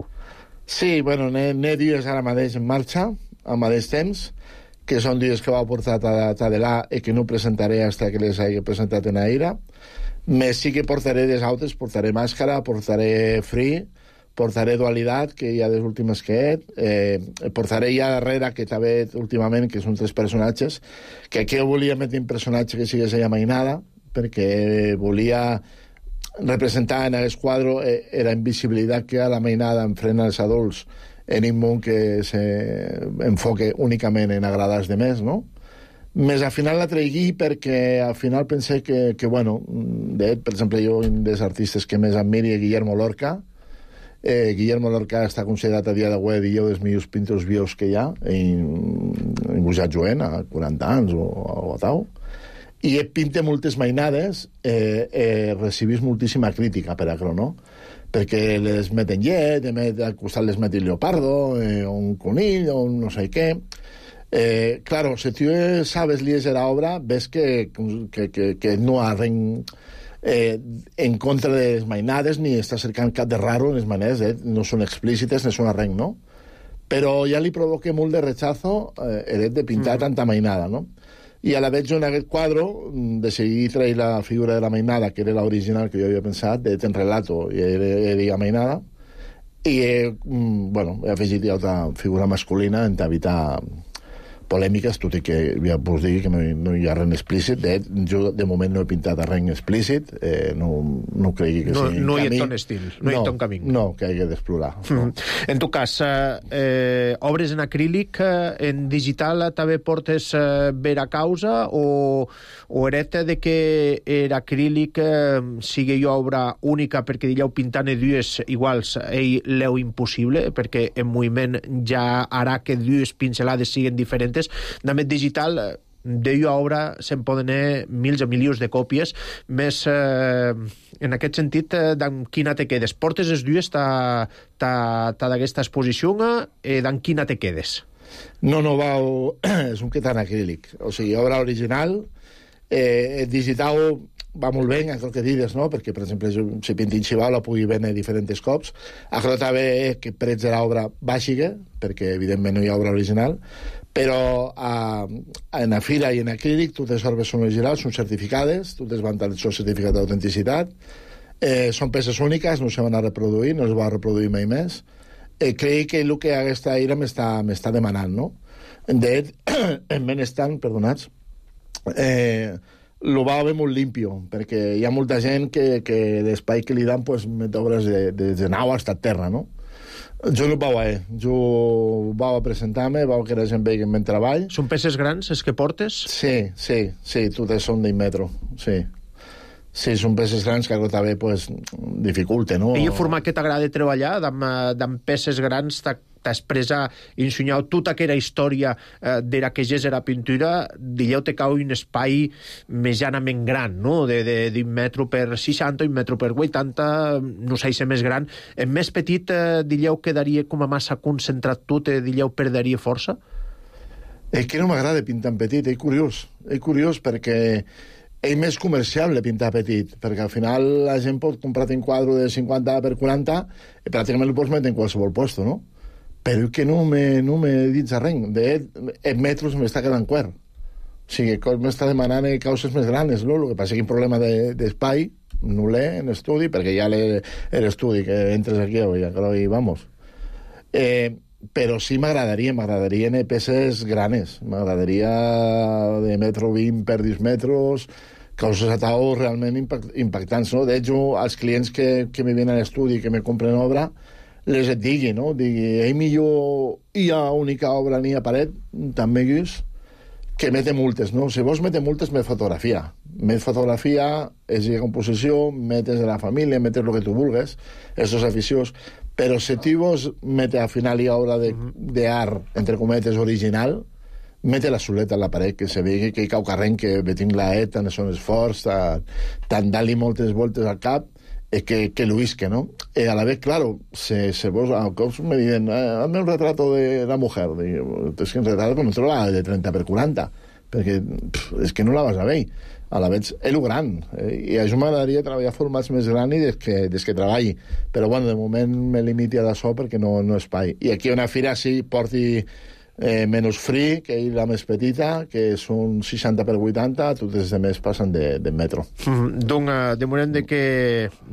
Sí, bueno, n'he dies ara mateix en marxa, al mateix temps, que són dies que va portar a Tadelà i que no presentaré fins que les hagi presentat en Aira. Més sí que portaré des altres, portaré Màscara, portaré Free, portaré Dualitat, que hi ha les últimes que he, eh, portaré ja darrere, que també últimament, que són tres personatges, que aquí volia metre un personatge que sigués ella mainada, perquè volia representar en aquest quadre eh, la invisibilitat que ha la mainada enfrent als adults en un món que s'enfoque únicament en agradar als demés, no? Més al final la traigui perquè al final pensé que, que bueno, de, per exemple, jo un dels artistes que més admiri és Guillermo Lorca. Eh, Guillermo Lorca està considerat a dia d'avui un dels millors pintors vius que hi ha, en, en Gujat Joen, a quaranta anys o, o a tal. i et pinte moltes mainades, eh, eh, recibís moltíssima crítica per això, no? Perquè les meten llet, met, al costat les meten lleopardo, eh, o un conill, o un no sé què. Eh, claro, si tu sabes llegir l'obra, ves que, que, que, que no ha ren eh, en contra de les mainades, ni està cercant cap de raro en les maneres, eh? No són explícites, ni són arrenc, no? Però ja li provoca molt de rechazo eh, el de pintar mm. tanta mainada, no? I a la vez jo en aquest quadre decidí trair la figura de la mainada, que era l'original que jo havia pensat, de ten relato, i era la mainada, i eh, bueno, he afegit ja altra figura masculina en evitar polèmiques, tot i que ja us digui que no, no hi ha res explícit. De, jo, de moment, no he pintat res explícit. Eh, no, no cregui que no, sigui no camí. hi ha ton estil, no, no hi ha ton camí. No, que hagi d'explorar. No. Mm. En tu cas, eh, obres en acrílic, eh, en digital també portes eh, vera causa o, o eret de que er acrílic eh, sigui obra única perquè dieu pintant dues iguals ell l'eu impossible, perquè en moviment ja harà que dues pincelades siguin diferents. També digital, d'ella obra se'n poden anar mils o milions de còpies, més eh, en aquest sentit, eh, d'en quina te quedes? Portes les dues ta, ta, ta d'aquesta exposició, eh, d'en quina te quedes? No, no, va, és un quetant acrílic. O sigui, obra original, eh, digital va molt bé, el que dides, no? Perquè, per exemple, si pintin xivau la pugui vendre diferents cops. Això també que prets de l'obra bàsica, perquè, evidentment, no hi ha obra original, però a, en la fira i en acrílic totes les obres són originals, són certificades, totes van tenir el seu certificat d'autenticitat, eh, són peces úniques, no se van a reproduir, no es va reproduir mai més. Eh, crec que el que aquesta ira m'està demanant, no? De en benestant, perdonats, eh, lo va haver molt limpio, perquè hi ha molta gent que, que l'espai que li dan pues, met obres de, de, de nau hasta terra, no? Jo no ho vau eh? Jo vau a presentar-me, vau que la gent vegi en ben treball. Són peces grans, els que portes? Sí, sí, sí, totes són d'un metro, sí. Sí, són peces grans que algo també pues, dificulte, no? I el format que t'agrada treballar, d'amb peces grans, t'expressa, ensenyau tota aquella història eh, de la que és la pintura, dilleu te cau un espai medianament gran, no? De, de, d'un metro per seixanta, un metro per vuitanta, no sé si més gran. En més petit, eh, dilleu quedaria com a massa concentrat tot, eh, dilleu perderia força? És que no m'agrada pintar en petit, és curiós. És curiós perquè és més comerciable pintar petit, perquè al final la gent pot comprar un quadre de cinquanta per quaranta i pràcticament el pots metre en qualsevol puesto, no? Però que no me, no me dits a res. De en metros m'està quedant quer. O sigui, m'està demanant causes més grans, no? El que passa és que un problema d'espai no l'he en estudi, perquè ja l'estudi, que entres aquí i i vamos. Eh, però sí m'agradaria, m'agradarien peces granes. M'agradaria de metro vint per deu metres, causes a tau realment impact, impactants, no? De hecho, els clients que, que me venen a l'estudi i que me compren obra, les et digui, no? Digui, ei, millor hi ha única obra ni a paret, també guis, que mete multes, no? Si vols mete multes, met fotografia. Met fotografia, és la composició, metes de la família, metes el que tu vulgues, esos aficiós, però si tu vols mete al final hi ha obra d'art, entre cometes, original, mete la soleta a la paret, que se vegi que hi cau carrent, que ve tinc la et, tant són esforç, tant dar-li moltes voltes al cap, eh, que, que lo isque, ¿no? Eh, a la vez, claro, se, se vos, a cops me dicen, eh, hazme un retrato de la mujer. Digo, es que un retrato pues, no te lo va de treinta per quaranta, perquè pff, és que no la vas a veure. A la vez, és el gran. Eh, I a jo m'agradaria treballar formats més grans i des que, des que treballi. Però, bueno, de moment me limiti a d'això perquè no, no espai. I aquí una fira sí porti eh, menys free, que és la més petita, que són seixanta per vuitanta, totes les més passen de, de metro. Mm, doncs, de moment de que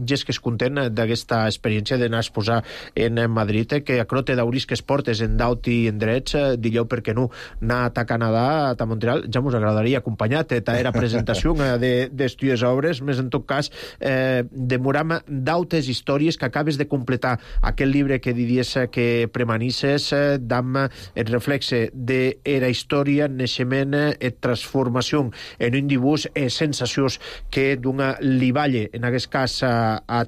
ja és que és content d'aquesta experiència d'anar a exposar en Madrid, que a crote d'auris que es portes en daut i en drets, digueu per què no, anar a Canadà, a Montreal, ja mos agradaria acompanyar ta era presentació d'estudies de, obres, més en tot cas, eh, demoram dautes històries que acabes de completar aquest llibre que diries que premanisses, eh, d'am el reflex de era història, naixement i transformació en un dibuix e sensacions que d'una li valle, en aquest cas a, a,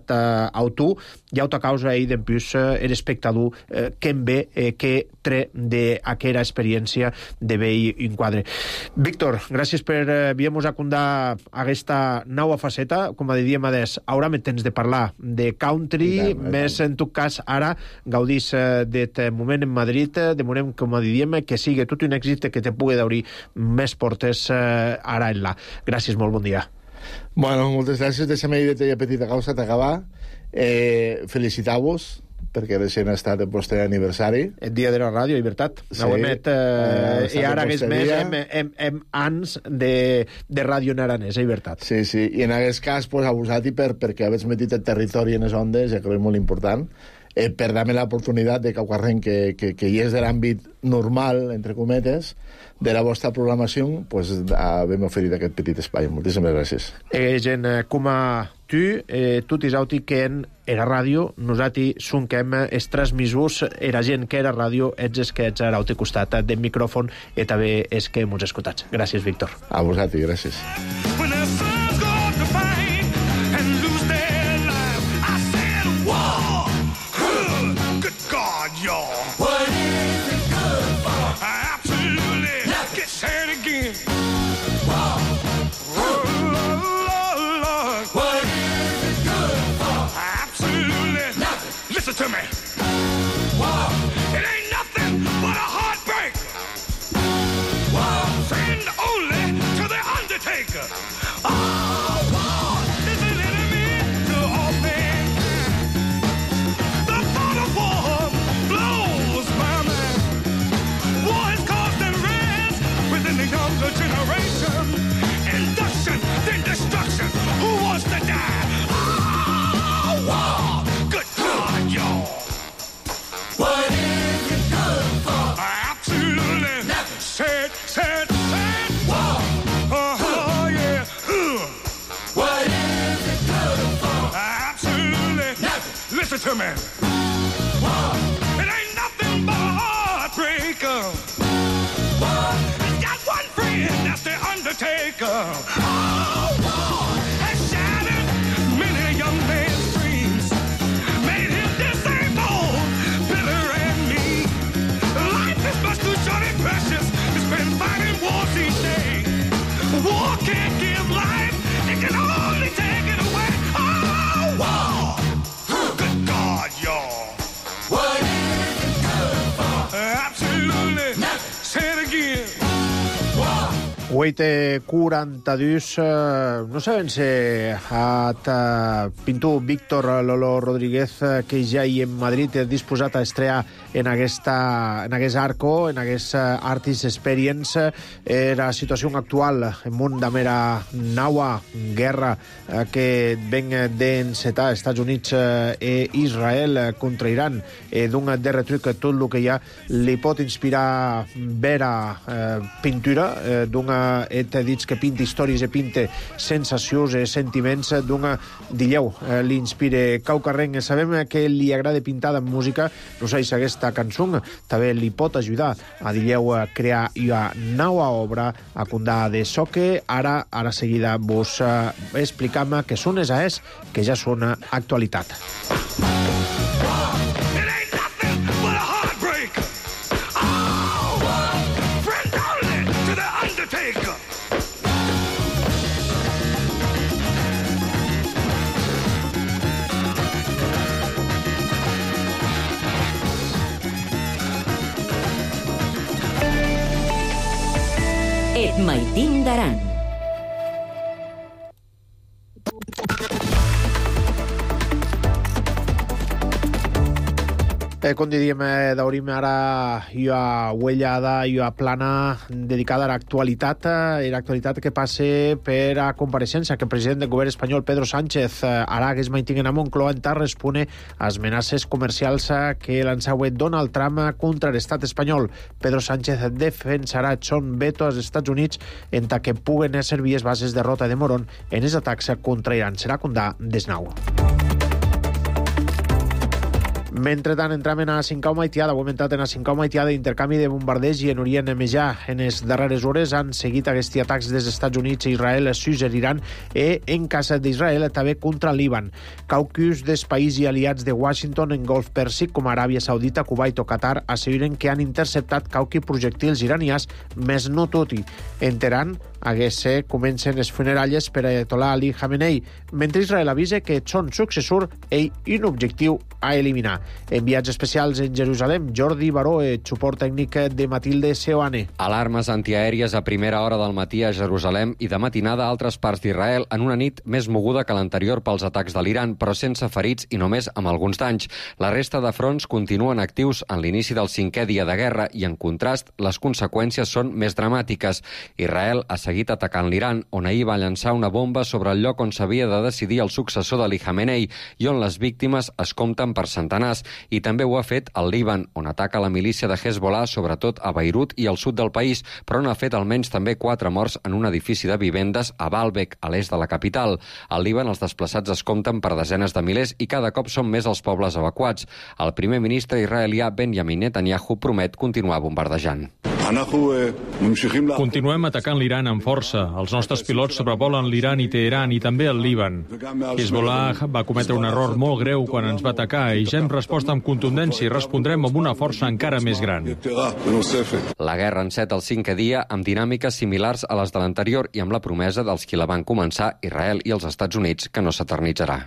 a tu, i auta causa ell d'en plus er espectador eh, que en ve eh, que tre d'aquera experiència de vell enquadre. Víctor, gràcies per eh, haver-nos acundar aquesta nova faceta, com a diríem adés, ara me tens de parlar de country, tant, més en tot cas ara gaudís eh, d'aquest moment en Madrid, de moment, com a diríem, que sigui tot un èxit que te pugui d'obrir més portes eh, ara en la. Gràcies, molt bon dia. Bueno, moltes gràcies. Deixa'm dir aquella petita causa d'acabar. Eh, felicitar-vos perquè recent ha estat el vostre aniversari. El dia de la ràdio, Llibertat. Sí. Ho emet, eh, eh, i ara hagués més hem, hem, hem ans de, de ràdio en aranès, Llibertat. Sí, sí, i en aquest cas, pues, abusat i per, perquè habéis metit el territori en les ondes, ja que és molt important, eh, per dar-me l'oportunitat de qualsevol que, que, que hi és de l'àmbit normal, entre cometes, de la vostra programació, pues, haver-me oferit aquest petit espai. Moltíssimes gràcies. Eh, gent eh, com a tu, eh, tu t'isauti que en era ràdio, nosaltres sonquem els transmissors, era gent que era ràdio, ets els que ets ara al teu costat del micròfon i també és que m'ho escoltats. Gràcies, Víctor. A vosaltres, gràcies. To me. Wow. It ain't nothing but a heartbreak. Wow. Friend only to the undertaker. Oh, war is an enemy to all things. The thought of war blows my mind. War is causing rage within the younger generation. Induction, then destruction. Who wants to die? Oh, war. What is it good for? Absolutely nothing. Said, said, said. War. Oh, yeah. Uh. What is it good for? Absolutely nothing. Listen to me. War. It ain't nothing but a heartbreaker. War. It's got one friend, that's the undertaker. Oh, war has shattered many young men's dreams. Made him disabled. Precious, it's been fighting wars each day. War can't give life, it can only take it away. Oh, war! Good God, y'all. What is it good for? Absolutely nothing. Say it again. War. vuit i quaranta-dos, eh, no sabem si at eh, pintor Víctor Lolo Rodríguez, eh, que ja hi en Madrid és disposat a estrear en aquesta en aquest arco, en aquest uh, Artist Experience, eh, la situació actual en un de mera naua guerra eh, que ven d'encetar Estats Units eh, i Israel eh, contra Iran, eh, d'un darrer truc tot el que hi ha li pot inspirar vera eh, pintura, eh, d'una et dits que pinta històries i pinta sensacions i sentiments, d'una dilleu eh, li inspire caucarrenc. Sabem que li agrada pintar de música, no sé si aquesta cançó també li pot ajudar a dilleu a crear una nova obra a condar de soque. Ara, ara seguida vos eh, explicam que són esas que ja són actualitat. Et Maitín d'Aran. Eh, com diríem, eh, d'obrim ara una uellada, una plana dedicada a l'actualitat, eh, l'actualitat que passe per a compareixença que el president del govern espanyol, Pedro Sánchez, eh, ara que es mantinguen a Moncloa en tal respone a amenaces comercials eh, que lançava Donald Trump contra l'estat espanyol. Pedro Sánchez defensarà son veto als Estats Units en ta que puguen servir les bases de Rota de Morón en els atacs contra Iran. Serà condà desnau. Mentrestant, entram en a cinquau maitiada. Ho hem entrat en a cinquau maitiada d'intercanvi de bombardeig i en Orient Mitjà. En les darreres hores han seguit aquests atacs des dels Estats Units, Israel, Suïssa, Iran i, en cas d'Israel, també contra Líban. Caucus dels països i aliats de Washington en Golf Pèrsic, com Aràbia Saudita, Kuwait o Qatar, asseguren que han interceptat qualque projectils iranians, més no tot i. En Teheran, a Gese comencen les funeralles per a Ayatollah Ali Khamenei, mentre Israel avisa que són successor i un objectiu a eliminar. Enviats especials en Jerusalem, Jordi Baró, suport tècnic de Matilde Seoane. Alarmes antiaèries a primera hora del matí a Jerusalem i de matinada a altres parts d'Israel en una nit més moguda que l'anterior pels atacs de l'Iran, però sense ferits i només amb alguns danys. La resta de fronts continuen actius en l'inici del cinquè dia de guerra i, en contrast, les conseqüències són més dramàtiques. Israel ha seguit atacant l'Iran, on ahir va llançar una bomba sobre el lloc on s'havia de decidir el successor d'Ali Khamenei i on les víctimes es compten per centenars, i també ho ha fet al Líban, on ataca la milícia de Hezbollah, sobretot a Beirut i al sud del país, però on ha fet almenys també quatre morts en un edifici de vivendes a Baalbek, a l'est de la capital. Al Líban els desplaçats es compten per desenes de milers i cada cop són més els pobles evacuats. El primer ministre israelià Benjamin Netanyahu promet continuar bombardejant. Continuem atacant l'Iran amb força. Els nostres pilots sobrevolen l'Iran i Teheran i també el Líban. Hezbollah va cometre un error molt greu quan ens va atacar i ja hem respost amb contundència i respondrem amb una força encara més gran. La guerra enceta el cinquè dia amb dinàmiques similars a les de l'anterior i amb la promesa dels qui la van començar, Israel i els Estats Units, que no s'eternitzarà.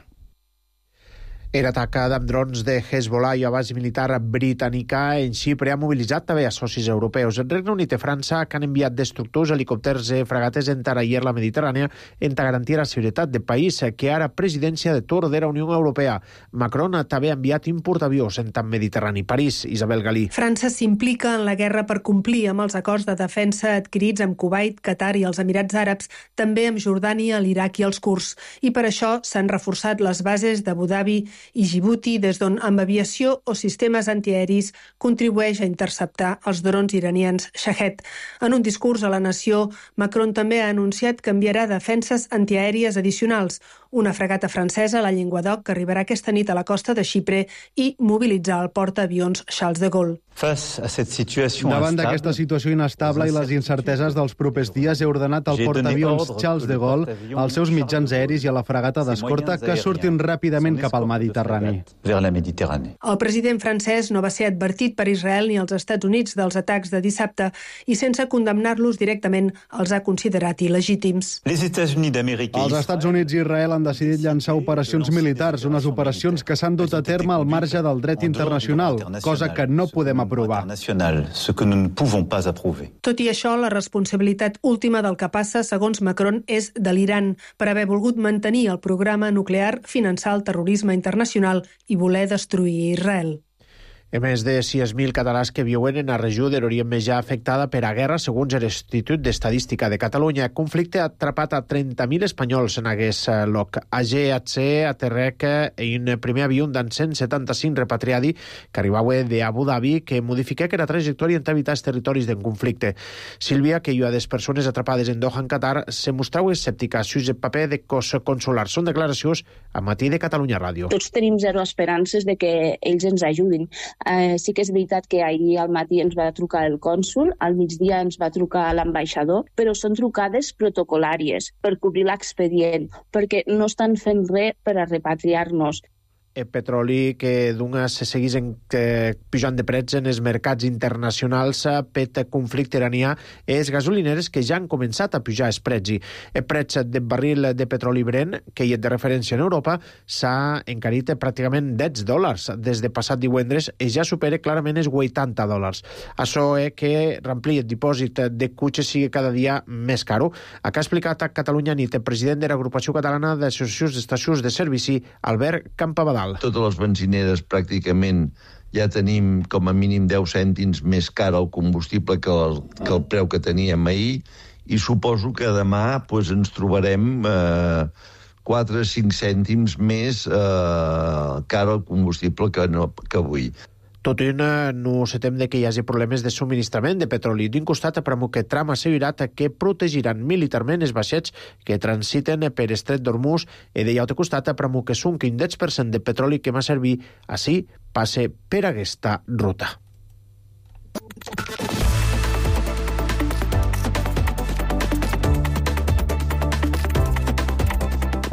Era atac amb drons de Hezbollah i a base militar britànica en Xipre ha mobilitzat també a socis europeus. El Regne Unit i França, que han enviat destructors, helicòpters i fragates en Tarayer la Mediterrània en garantir la seguretat del país, que ara presidència de torn de la Unió Europea. Macron també ha enviat importavions en tant Mediterrani. París, Isabel Galí. França s'implica en la guerra per complir amb els acords de defensa adquirits amb Kuwait, Qatar i els Emirats Àrabs, també amb Jordània, l'Iraq i els kurds. I per això s'han reforçat les bases d'Abu Dhabi i Djibouti, des d'on amb aviació o sistemes antiaeris contribueix a interceptar els drons iranians Shahed. En un discurs a la nació, Macron també ha anunciat que enviarà defenses antiaèries addicionals, una fragata francesa, la Llenguadoc, que arribarà aquesta nit a la costa de Xipre, i mobilitzar el portaavions Charles de Gaulle. Davant d'aquesta situació inestable i les incerteses dels propers dies, he ordenat al portaavions Charles de Gaulle, als seus mitjans aeris i a la fragata d'escorta que surtin ràpidament cap al Mediterrani. El president francès no va ser advertit per Israel ni els Estats Units dels atacs de dissabte i, sense condemnar-los directament, els ha considerat il·legítims. Els Estats Units i Israel han decidit llançar operacions militars, unes operacions que s'han dut a terme al marge del dret internacional, cosa que no podem aprovar. Tot i això, la responsabilitat última del que passa, segons Macron, és de l'Iran, per haver volgut mantenir el programa nuclear, finançar el terrorisme internacional i voler destruir Israel. A més de sis mil catalans que viuen en la regió de l'Orient Mitjà afectada per a guerra, segons l'Institut d'Estadística de Catalunya. El conflicte ha atrapat a trenta mil espanyols en aquest lloc. A G H C aterrec un primer avió d'en cent setanta-cinc repatriadi que arribava d'Abu Dhabi, que modifica la trajectòria en evitar els territoris del conflicte. Sílvia, que hi ha des persones atrapades en Doha, en Qatar, se mostrava escèptica sus el paper de cos consular. Són declaracions a Matí de Catalunya Ràdio. Tots tenim zero esperances de que ells ens ajudin. Eh, sí que és veritat que ahir al matí ens va trucar el cònsul, al migdia ens va trucar l'ambaixador, però són trucades protocolàries per cobrir l'expedient, perquè no estan fent res per a repatriar-nos. El petroli que d'una se seguís en, eh, pujant de preus en els mercats internacionals per conflicte iranià, és gasolineres que ja han començat a pujar els preus. El preu del barril de petroli Brent, que hi és de referència en Europa, s'ha encarit pràcticament deu dòlars des de passat divendres i ja supera clarament els vuitanta dòlars. Això és que remplir el dipòsit de cotxes sigui cada dia més caro. Acá ha explicat a Catalunya Nit el president de l'Agrupació Catalana d'Associacions d'Estacions de Servici, Albert Campabadal. Totes les benzineres pràcticament ja tenim com a mínim deu cèntims més car el combustible que el, que el preu que teníem ahir, i suposo que demà pues, ens trobarem eh, quatre o cinc cèntims més eh, car el combustible que, no, que avui. Tot i no se tem de que hi hagi problemes de subministrament de petroli. D'un costat, Pramuk Tram ha assegurat que protegiran militarment els vaixells que transiten per Estret d'Hormuz i de l'altre costat, Pramuk Sunk, un deu per cent de petroli que va servir així passe per aquesta ruta.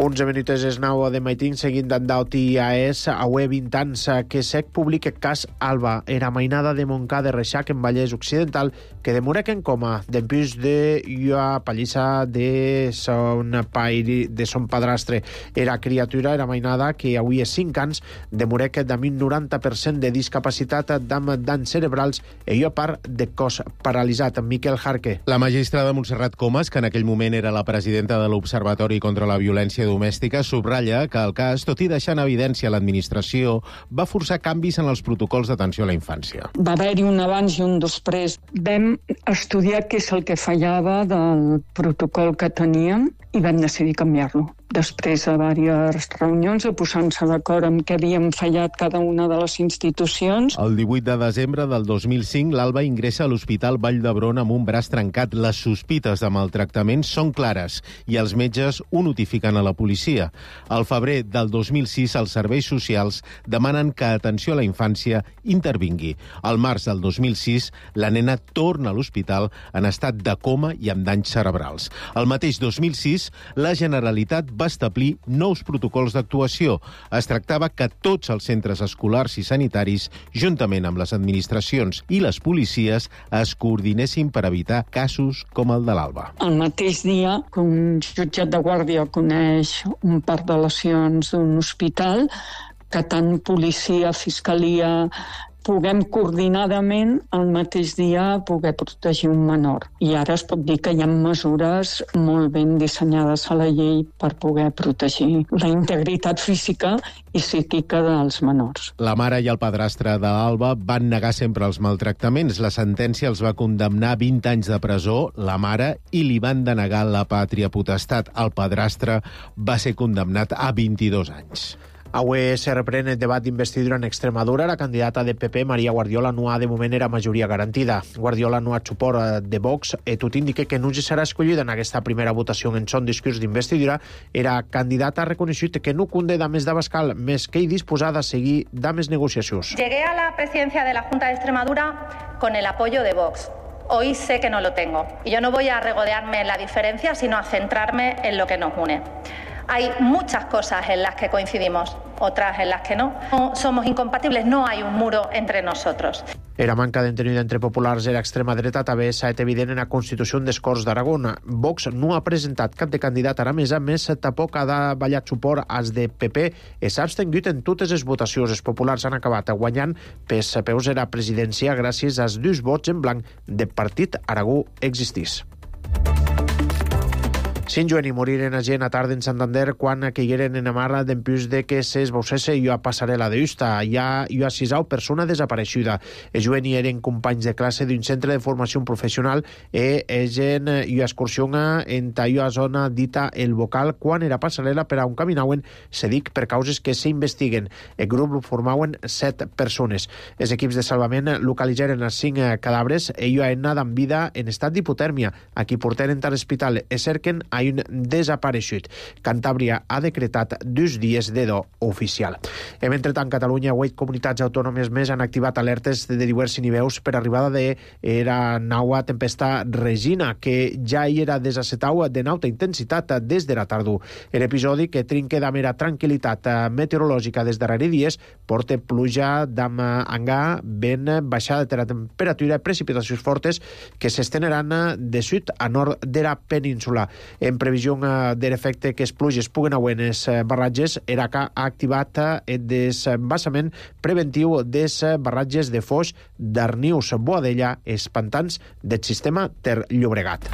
onze minuts és nou de maitin, seguint d'andaut i a es, avui vint anys que sec publica cas Alba, era mainada de Montcà de Reixac en Vallès Occidental, que demorec en coma, d'empús de ua pallissa de son pairi, de son padrastre. Era criatura, era mainada, que avui és cinc anys, demorec d'ami un noranta per cent de discapacitat d'am danys cerebrals i ua part de cos paralitzat. Miquel Jarque. La magistrada Montserrat Comas, que en aquell moment era la presidenta de l'Observatori contra la Violència Domèstica, subratlla que el cas, tot i deixar en evidència l'administració, va forçar canvis en els protocols d'atenció a la infància. Va haver-hi un abans i un després. Vam estudiar què és el que fallava del protocol que teníem i vam decidir canviar-lo. Després de diverses reunions, de posar-se d'acord amb què havíem fallat cada una de les institucions. El divuit de desembre del dos mil cinc, l'Alba ingressa a l'Hospital Vall d'Hebron amb un braç trencat. Les sospites de maltractament són clares i els metges ho notifiquen a la policia. Al febrer del dos mil sis, els serveis socials demanen que Atenció a la Infància intervingui. Al març del dos mil sis, la nena torna a l'hospital en estat de coma i amb danys cerebrals. El mateix dos mil sis, la Generalitat va establir nous protocols d'actuació. Es tractava que tots els centres escolars i sanitaris, juntament amb les administracions i les policies, es coordinessin per evitar casos com el de l'Alba. El mateix dia que un jutjat de guàrdia coneix un parc de lesions d'un hospital, que tant policia, fiscalia, puguem coordinadament el mateix dia poder protegir un menor. I ara es pot dir que hi ha mesures molt ben dissenyades a la llei per poder protegir la integritat física i psíquica dels menors. La mare i el padrastre d'Alba van negar sempre els maltractaments. La sentència els va condemnar a vint anys de presó, la mare, i li van denegar la pàtria potestat. El padrastre va ser condemnat a vint-i-dos anys. Avui se reprèn el debat d'investidura en Extremadura. La candidata de P P, Maria Guardiola, no ha de moment era majoria garantida. Guardiola no ha suport de Vox i tot indica que no serà escollida en aquesta primera votació en son discurs d'investidura. Era candidata reconegut que no cunde dames d'Abascal, més que hi disposada a seguir dames negociacions. Llegué a la presidencia de la Junta de Extremadura con el apoyo de Vox. Hoy sé que no lo tengo. Y yo no voy a regodearme en la diferencia, sino a centrarme en lo que nos une. Hay muchas cosas en las que coincidimos, otras en las que no. No somos incompatibles, no hay un muro entre nosotros. Era manca d'entenida entre populars i l'extrema dreta també s'ha estat evident en la Constitució des Corts d'Aragó. Vox no ha presentat cap de candidat aramesa, més tampoc ha davallat suport als de P P i s'ha abstengut en totes les votacions. Els populars han acabat guanyant pes peus a la presidència gràcies als dos vots en blanc del Partit Aragó existís. Sin joen i moriren a gent a tarda en Santander quan caigueren en la mar d'empús de que s'esbaucesse i a passarel·la de Justa. Hi ha una sisau persona desapareixuda. Els joen eren companys de classe d'un centre de formació professional i egen i excursió en una zona dita el Bocal quan era passarel·la per a on caminaven, se dic per causes que s'investiguen. El grup formaven set persones. Els equips de salvament localitzaren els cinc cadàvers i hi ha anat amb vida en estat d'hipotèrmia. A qui portaren a l'hospital es cerquen a un desapareixut. Cantàbria ha decretat dos dies de do oficial. I mentrestant, Catalunya, vuit comunitats autònomes més han activat alertes de diversos nivells per arribada de la nova tempesta Regina, que ja hi era desacetau de nauta intensitat des de la tardor. L'episodi, que trinca de mera tranquil·litat meteorològica des darrere dies, porta pluja d'am angà, vent, baixada de la temperatura, precipitacions fortes que s'esteneran de sud a nord de la península. En previsió de l'efecte que les pluges puguen haver en els barratges, E R A C ha activat el desbassament preventiu dels barratges de Foix, Darnius, Boadella, els pantans del sistema Ter Llobregat.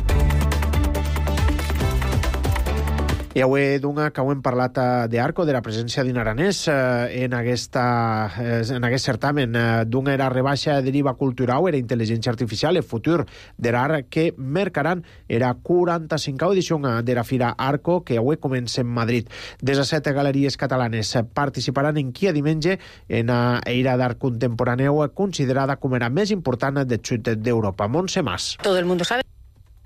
I avui, d'una, que ho hem parlat d'Arco, de la presència d'un aranès en, aquesta, en aquest certamen. D'una era rebaixa de l'I V A cultural, era intel·ligència artificial, el futur de l'art que mercaran era quaranta-cinquena edició de la Fira Arco, que avui comença en Madrid. Des de set galeries catalanes participaran en Kia diumenge en la Eira d'Art Contemporáneu, considerada com la més important del sud d'Europa. Montse Mas. Todo el mundo sabe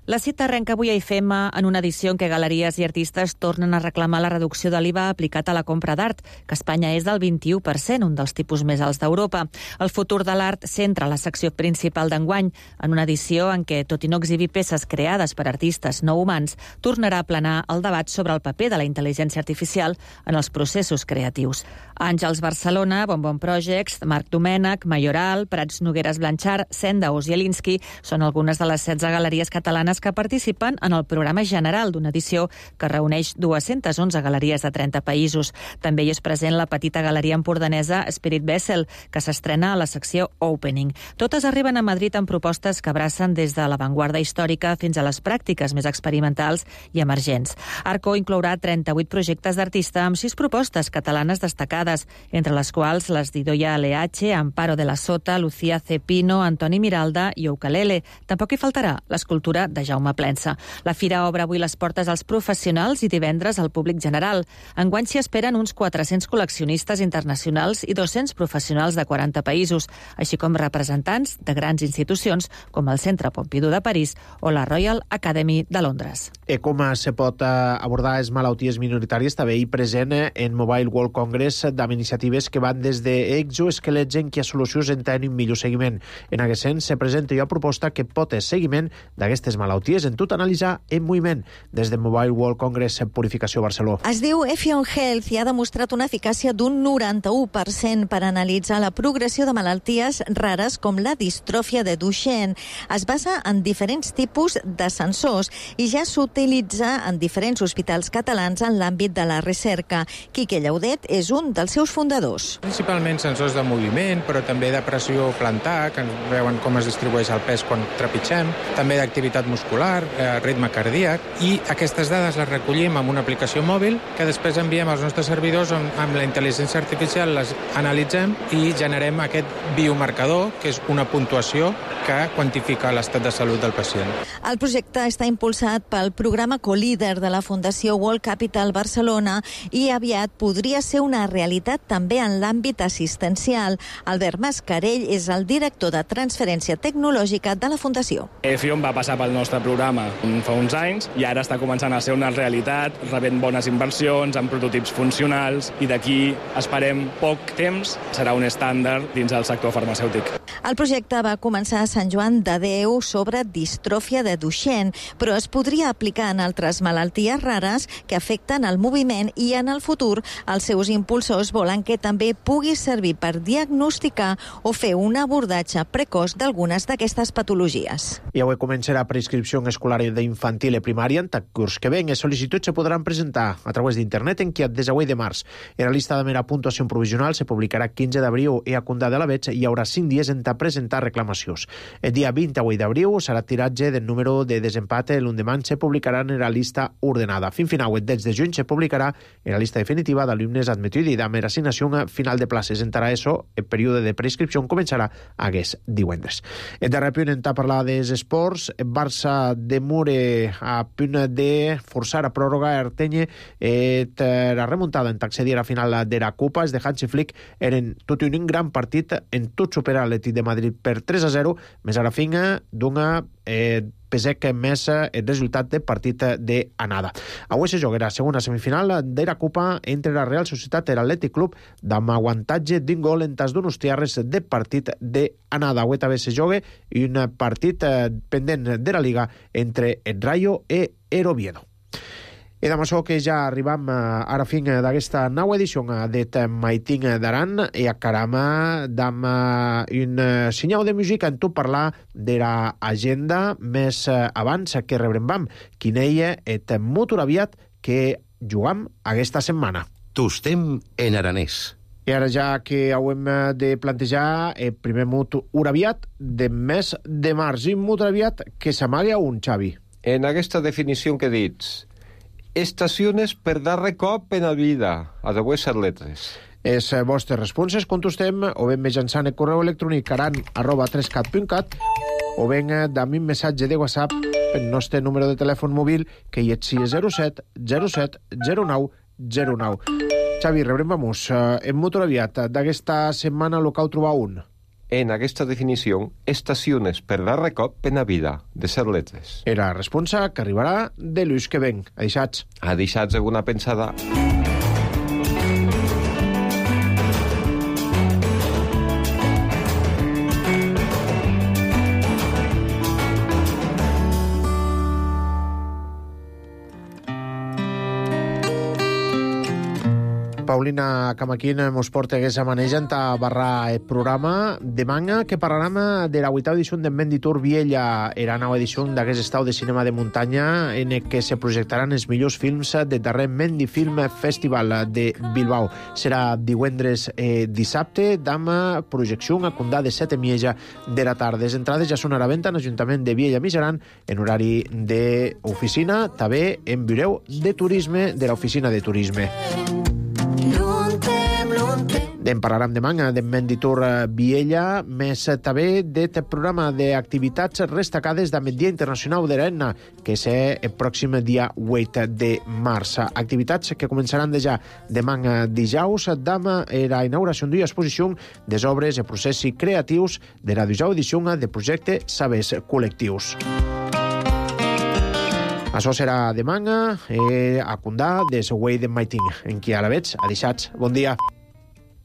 La cita arrenca avui a I F M en una edició en què galeries i artistes tornen a reclamar la reducció de l'I V A aplicat a la compra d'art, que a Espanya és del vint-i-u per cent, un dels tipus més alts d'Europa. El futur de l'art centra la secció principal d'enguany, en una edició en què, tot i no exhibir peces creades per artistes no humans, tornarà a planar el debat sobre el paper de la intel·ligència artificial en els processos creatius. Àngels Barcelona, Bonbon Projects, Marc Domènech, Mayoral, Prats Nogueres Blanchard, Senda Ozielinski són algunes de les setze galeries catalanes que participen en el programa general d'una edició que reuneix dues-centes onze galeries de trenta països. També hi és present la petita galeria empordanesa Spirit Vessel, que s'estrena a la secció Opening. Totes arriben a Madrid amb propostes que abracen des de l'avantguarda històrica fins a les pràctiques més experimentals i emergents. Arco inclourà trenta-vuit projectes d'artista amb sis propostes catalanes destacades, entre les quals les d'Idoia Aleache, Amparo de la Sota, Lucía Cepino, Antoni Miralda i Ukulele. Tampoc hi faltarà l'escultura de Jaume Plensa. La fira obre avui les portes als professionals i divendres al públic general. Enguany s'hi esperen uns quatre-cents col·leccionistes internacionals i dos-cents professionals de quaranta països, així com representants de grans institucions com el Centre Pompidou de París o la Royal Academy de Londres. E com se pot abordar les malalties minoritàries també hi present en Mobile World Congress amb iniciatives que van des d'exoesquelets en què a solucions en tenen un millor seguiment. En aquest sense se presenta una proposta que pot ser seguiment d'aquestes malalties en tot analitzar en moviment. Des de Mobile World Congress Purificació Barcelona. Es diu Effion Health i ha demostrat una eficàcia d'un noranta-u per cent per analitzar la progressió de malalties rares com la distròfia de Duchenne. Es basa en diferents tipus de sensors i ja s'utilitza en diferents hospitals catalans en l'àmbit de la recerca. Quique Llaudet és un dels seus fundadors. Principalment sensors de moviment, però també de pressió plantar, que ens veuen com es distribueix el pes quan trepitgem, també d'activitat muscular, eh, ritme cardíac, i aquestes dades les recollim amb una aplicació mòbil que després enviem als nostres servidors on amb la intel·ligència artificial les analitzem i generem aquest biomarcador, que és una puntuació que quantifica l'estat de salut del pacient. El projecte està impulsat pel programa Colíder de la Fundació World Capital Barcelona i aviat podria ser una realitat també en l'àmbit assistencial. Albert Mascarell és el director de transferència tecnològica de la Fundació. Effion va passar pel nostre programa fa uns anys i ara està començant a ser una realitat, rebent bones inversions, amb prototips funcionals, i d'aquí esperem poc temps serà un estàndard dins del sector farmacèutic. El projecte va començar a Sant Joan de Déu sobre distròfia de Duchenne, però es podria aplicar en altres malalties rares que afecten el moviment i en el futur els seus impulsors volen que també pugui servir per diagnosticar o fer un abordatge precoç d'algunes d'aquestes patologies. I avui començarà prescripció escolar d'infantil i primària en tant curs que ven. Les sol·licituds se podran presentar a través d'internet en qui des avui de març. En la lista de mera puntuació provisional se publicarà quinze d'abril i a Condà de la Veig hi haurà cinc dies en presentar reclamacions. El dia vint-i-vuit d'abril serà tiratge del número de desempat. L'endemà se publicarà en la lista ordenada. Fin final, el deu de juny se publicarà en la lista definitiva d'alumnes admetits i amb assignació final de places. Entrarà això, el període de prescripció començarà aquest divendres. En darrer punt, en parlar dels esports, Barça de Mure a punt de forçar a pròrroga Artenye eh, la remuntada en accedir a la final de la Copa. Els de Hansi Flick eren tot i un gran partit en tot superar l'Atlètic de Madrid per tres a zero, més a la finga d'una eh, pesec més el resultat de partit d'anada. Avui se jogarà segona semifinal de la Copa entre la Real Societat i l'Atlètic Club amb aguantatge d'un gol en tas d'unos tiarres de partit d'anada. Avui també se joga un partit eh, pendent de la Liga entre el Rayo i el Oviedo. I amb això que ja arribam a la fin d'aquesta nova edició d'et Maiting d'Aran i acaram amb un senyal de música en tot parlar de l'agenda més abans que rebrem quin és et motor aviat que jugam aquesta setmana. Tostem en aranès. I ara ja que haurem de plantejar el primer mot uraviat de mes de març. I mot uraviat que s'amaga un, Xavi. En aquesta definició que dits, estacions per darrer cop en la vida, a dues set letres. Les vostres responses contestem o ben mitjançant el correu electrònic aran arroba trescat punt cat o ben dame un missatge de WhatsApp el nostre número de telèfon mòbil que hi és zero set zero set zero nou zero nou. Xavi, rebrem vamos. En motor aviat d'aquesta setmana local trobar un. en aquesta definició estacions per darrer cop en la vida, de ser letres. Era responsa que arribarà de l'ús que ven. Adeixats. Adeixats alguna pensada. Paulina Camaquín mos porta aquesta manejant a barrar el programa de manga que parlarem de la vuitava edició de Menditur Viella, era nova edició d'aquest estau de cinema de muntanya en què se projectaran els millors films de darrer Mendi Film Festival de Bilbao. Serà divendres eh, dissabte amb projecció a condà de set i mitja de la tarda. Les entrades ja són a la venda en l'Ajuntament de Viella Mijaran en horari d'oficina, també en Bireu de Turisme de l'Oficina de Turisme. En parlarem de manga de Menditur Viella, més també d'aquest programa d'activitats destacades del Dia Internacional de l'Etna, que és el pròxim dia vuit de març. Activitats que començaran de ja demà dijous, amb la inauguració d'una exposició de obres i processos creatius de la dijous edició del projecte Sabers Col·lectius. Això serà demà eh, a Condà, des Way de Maiting, en qui ara veig. Adeixats. Bon dia.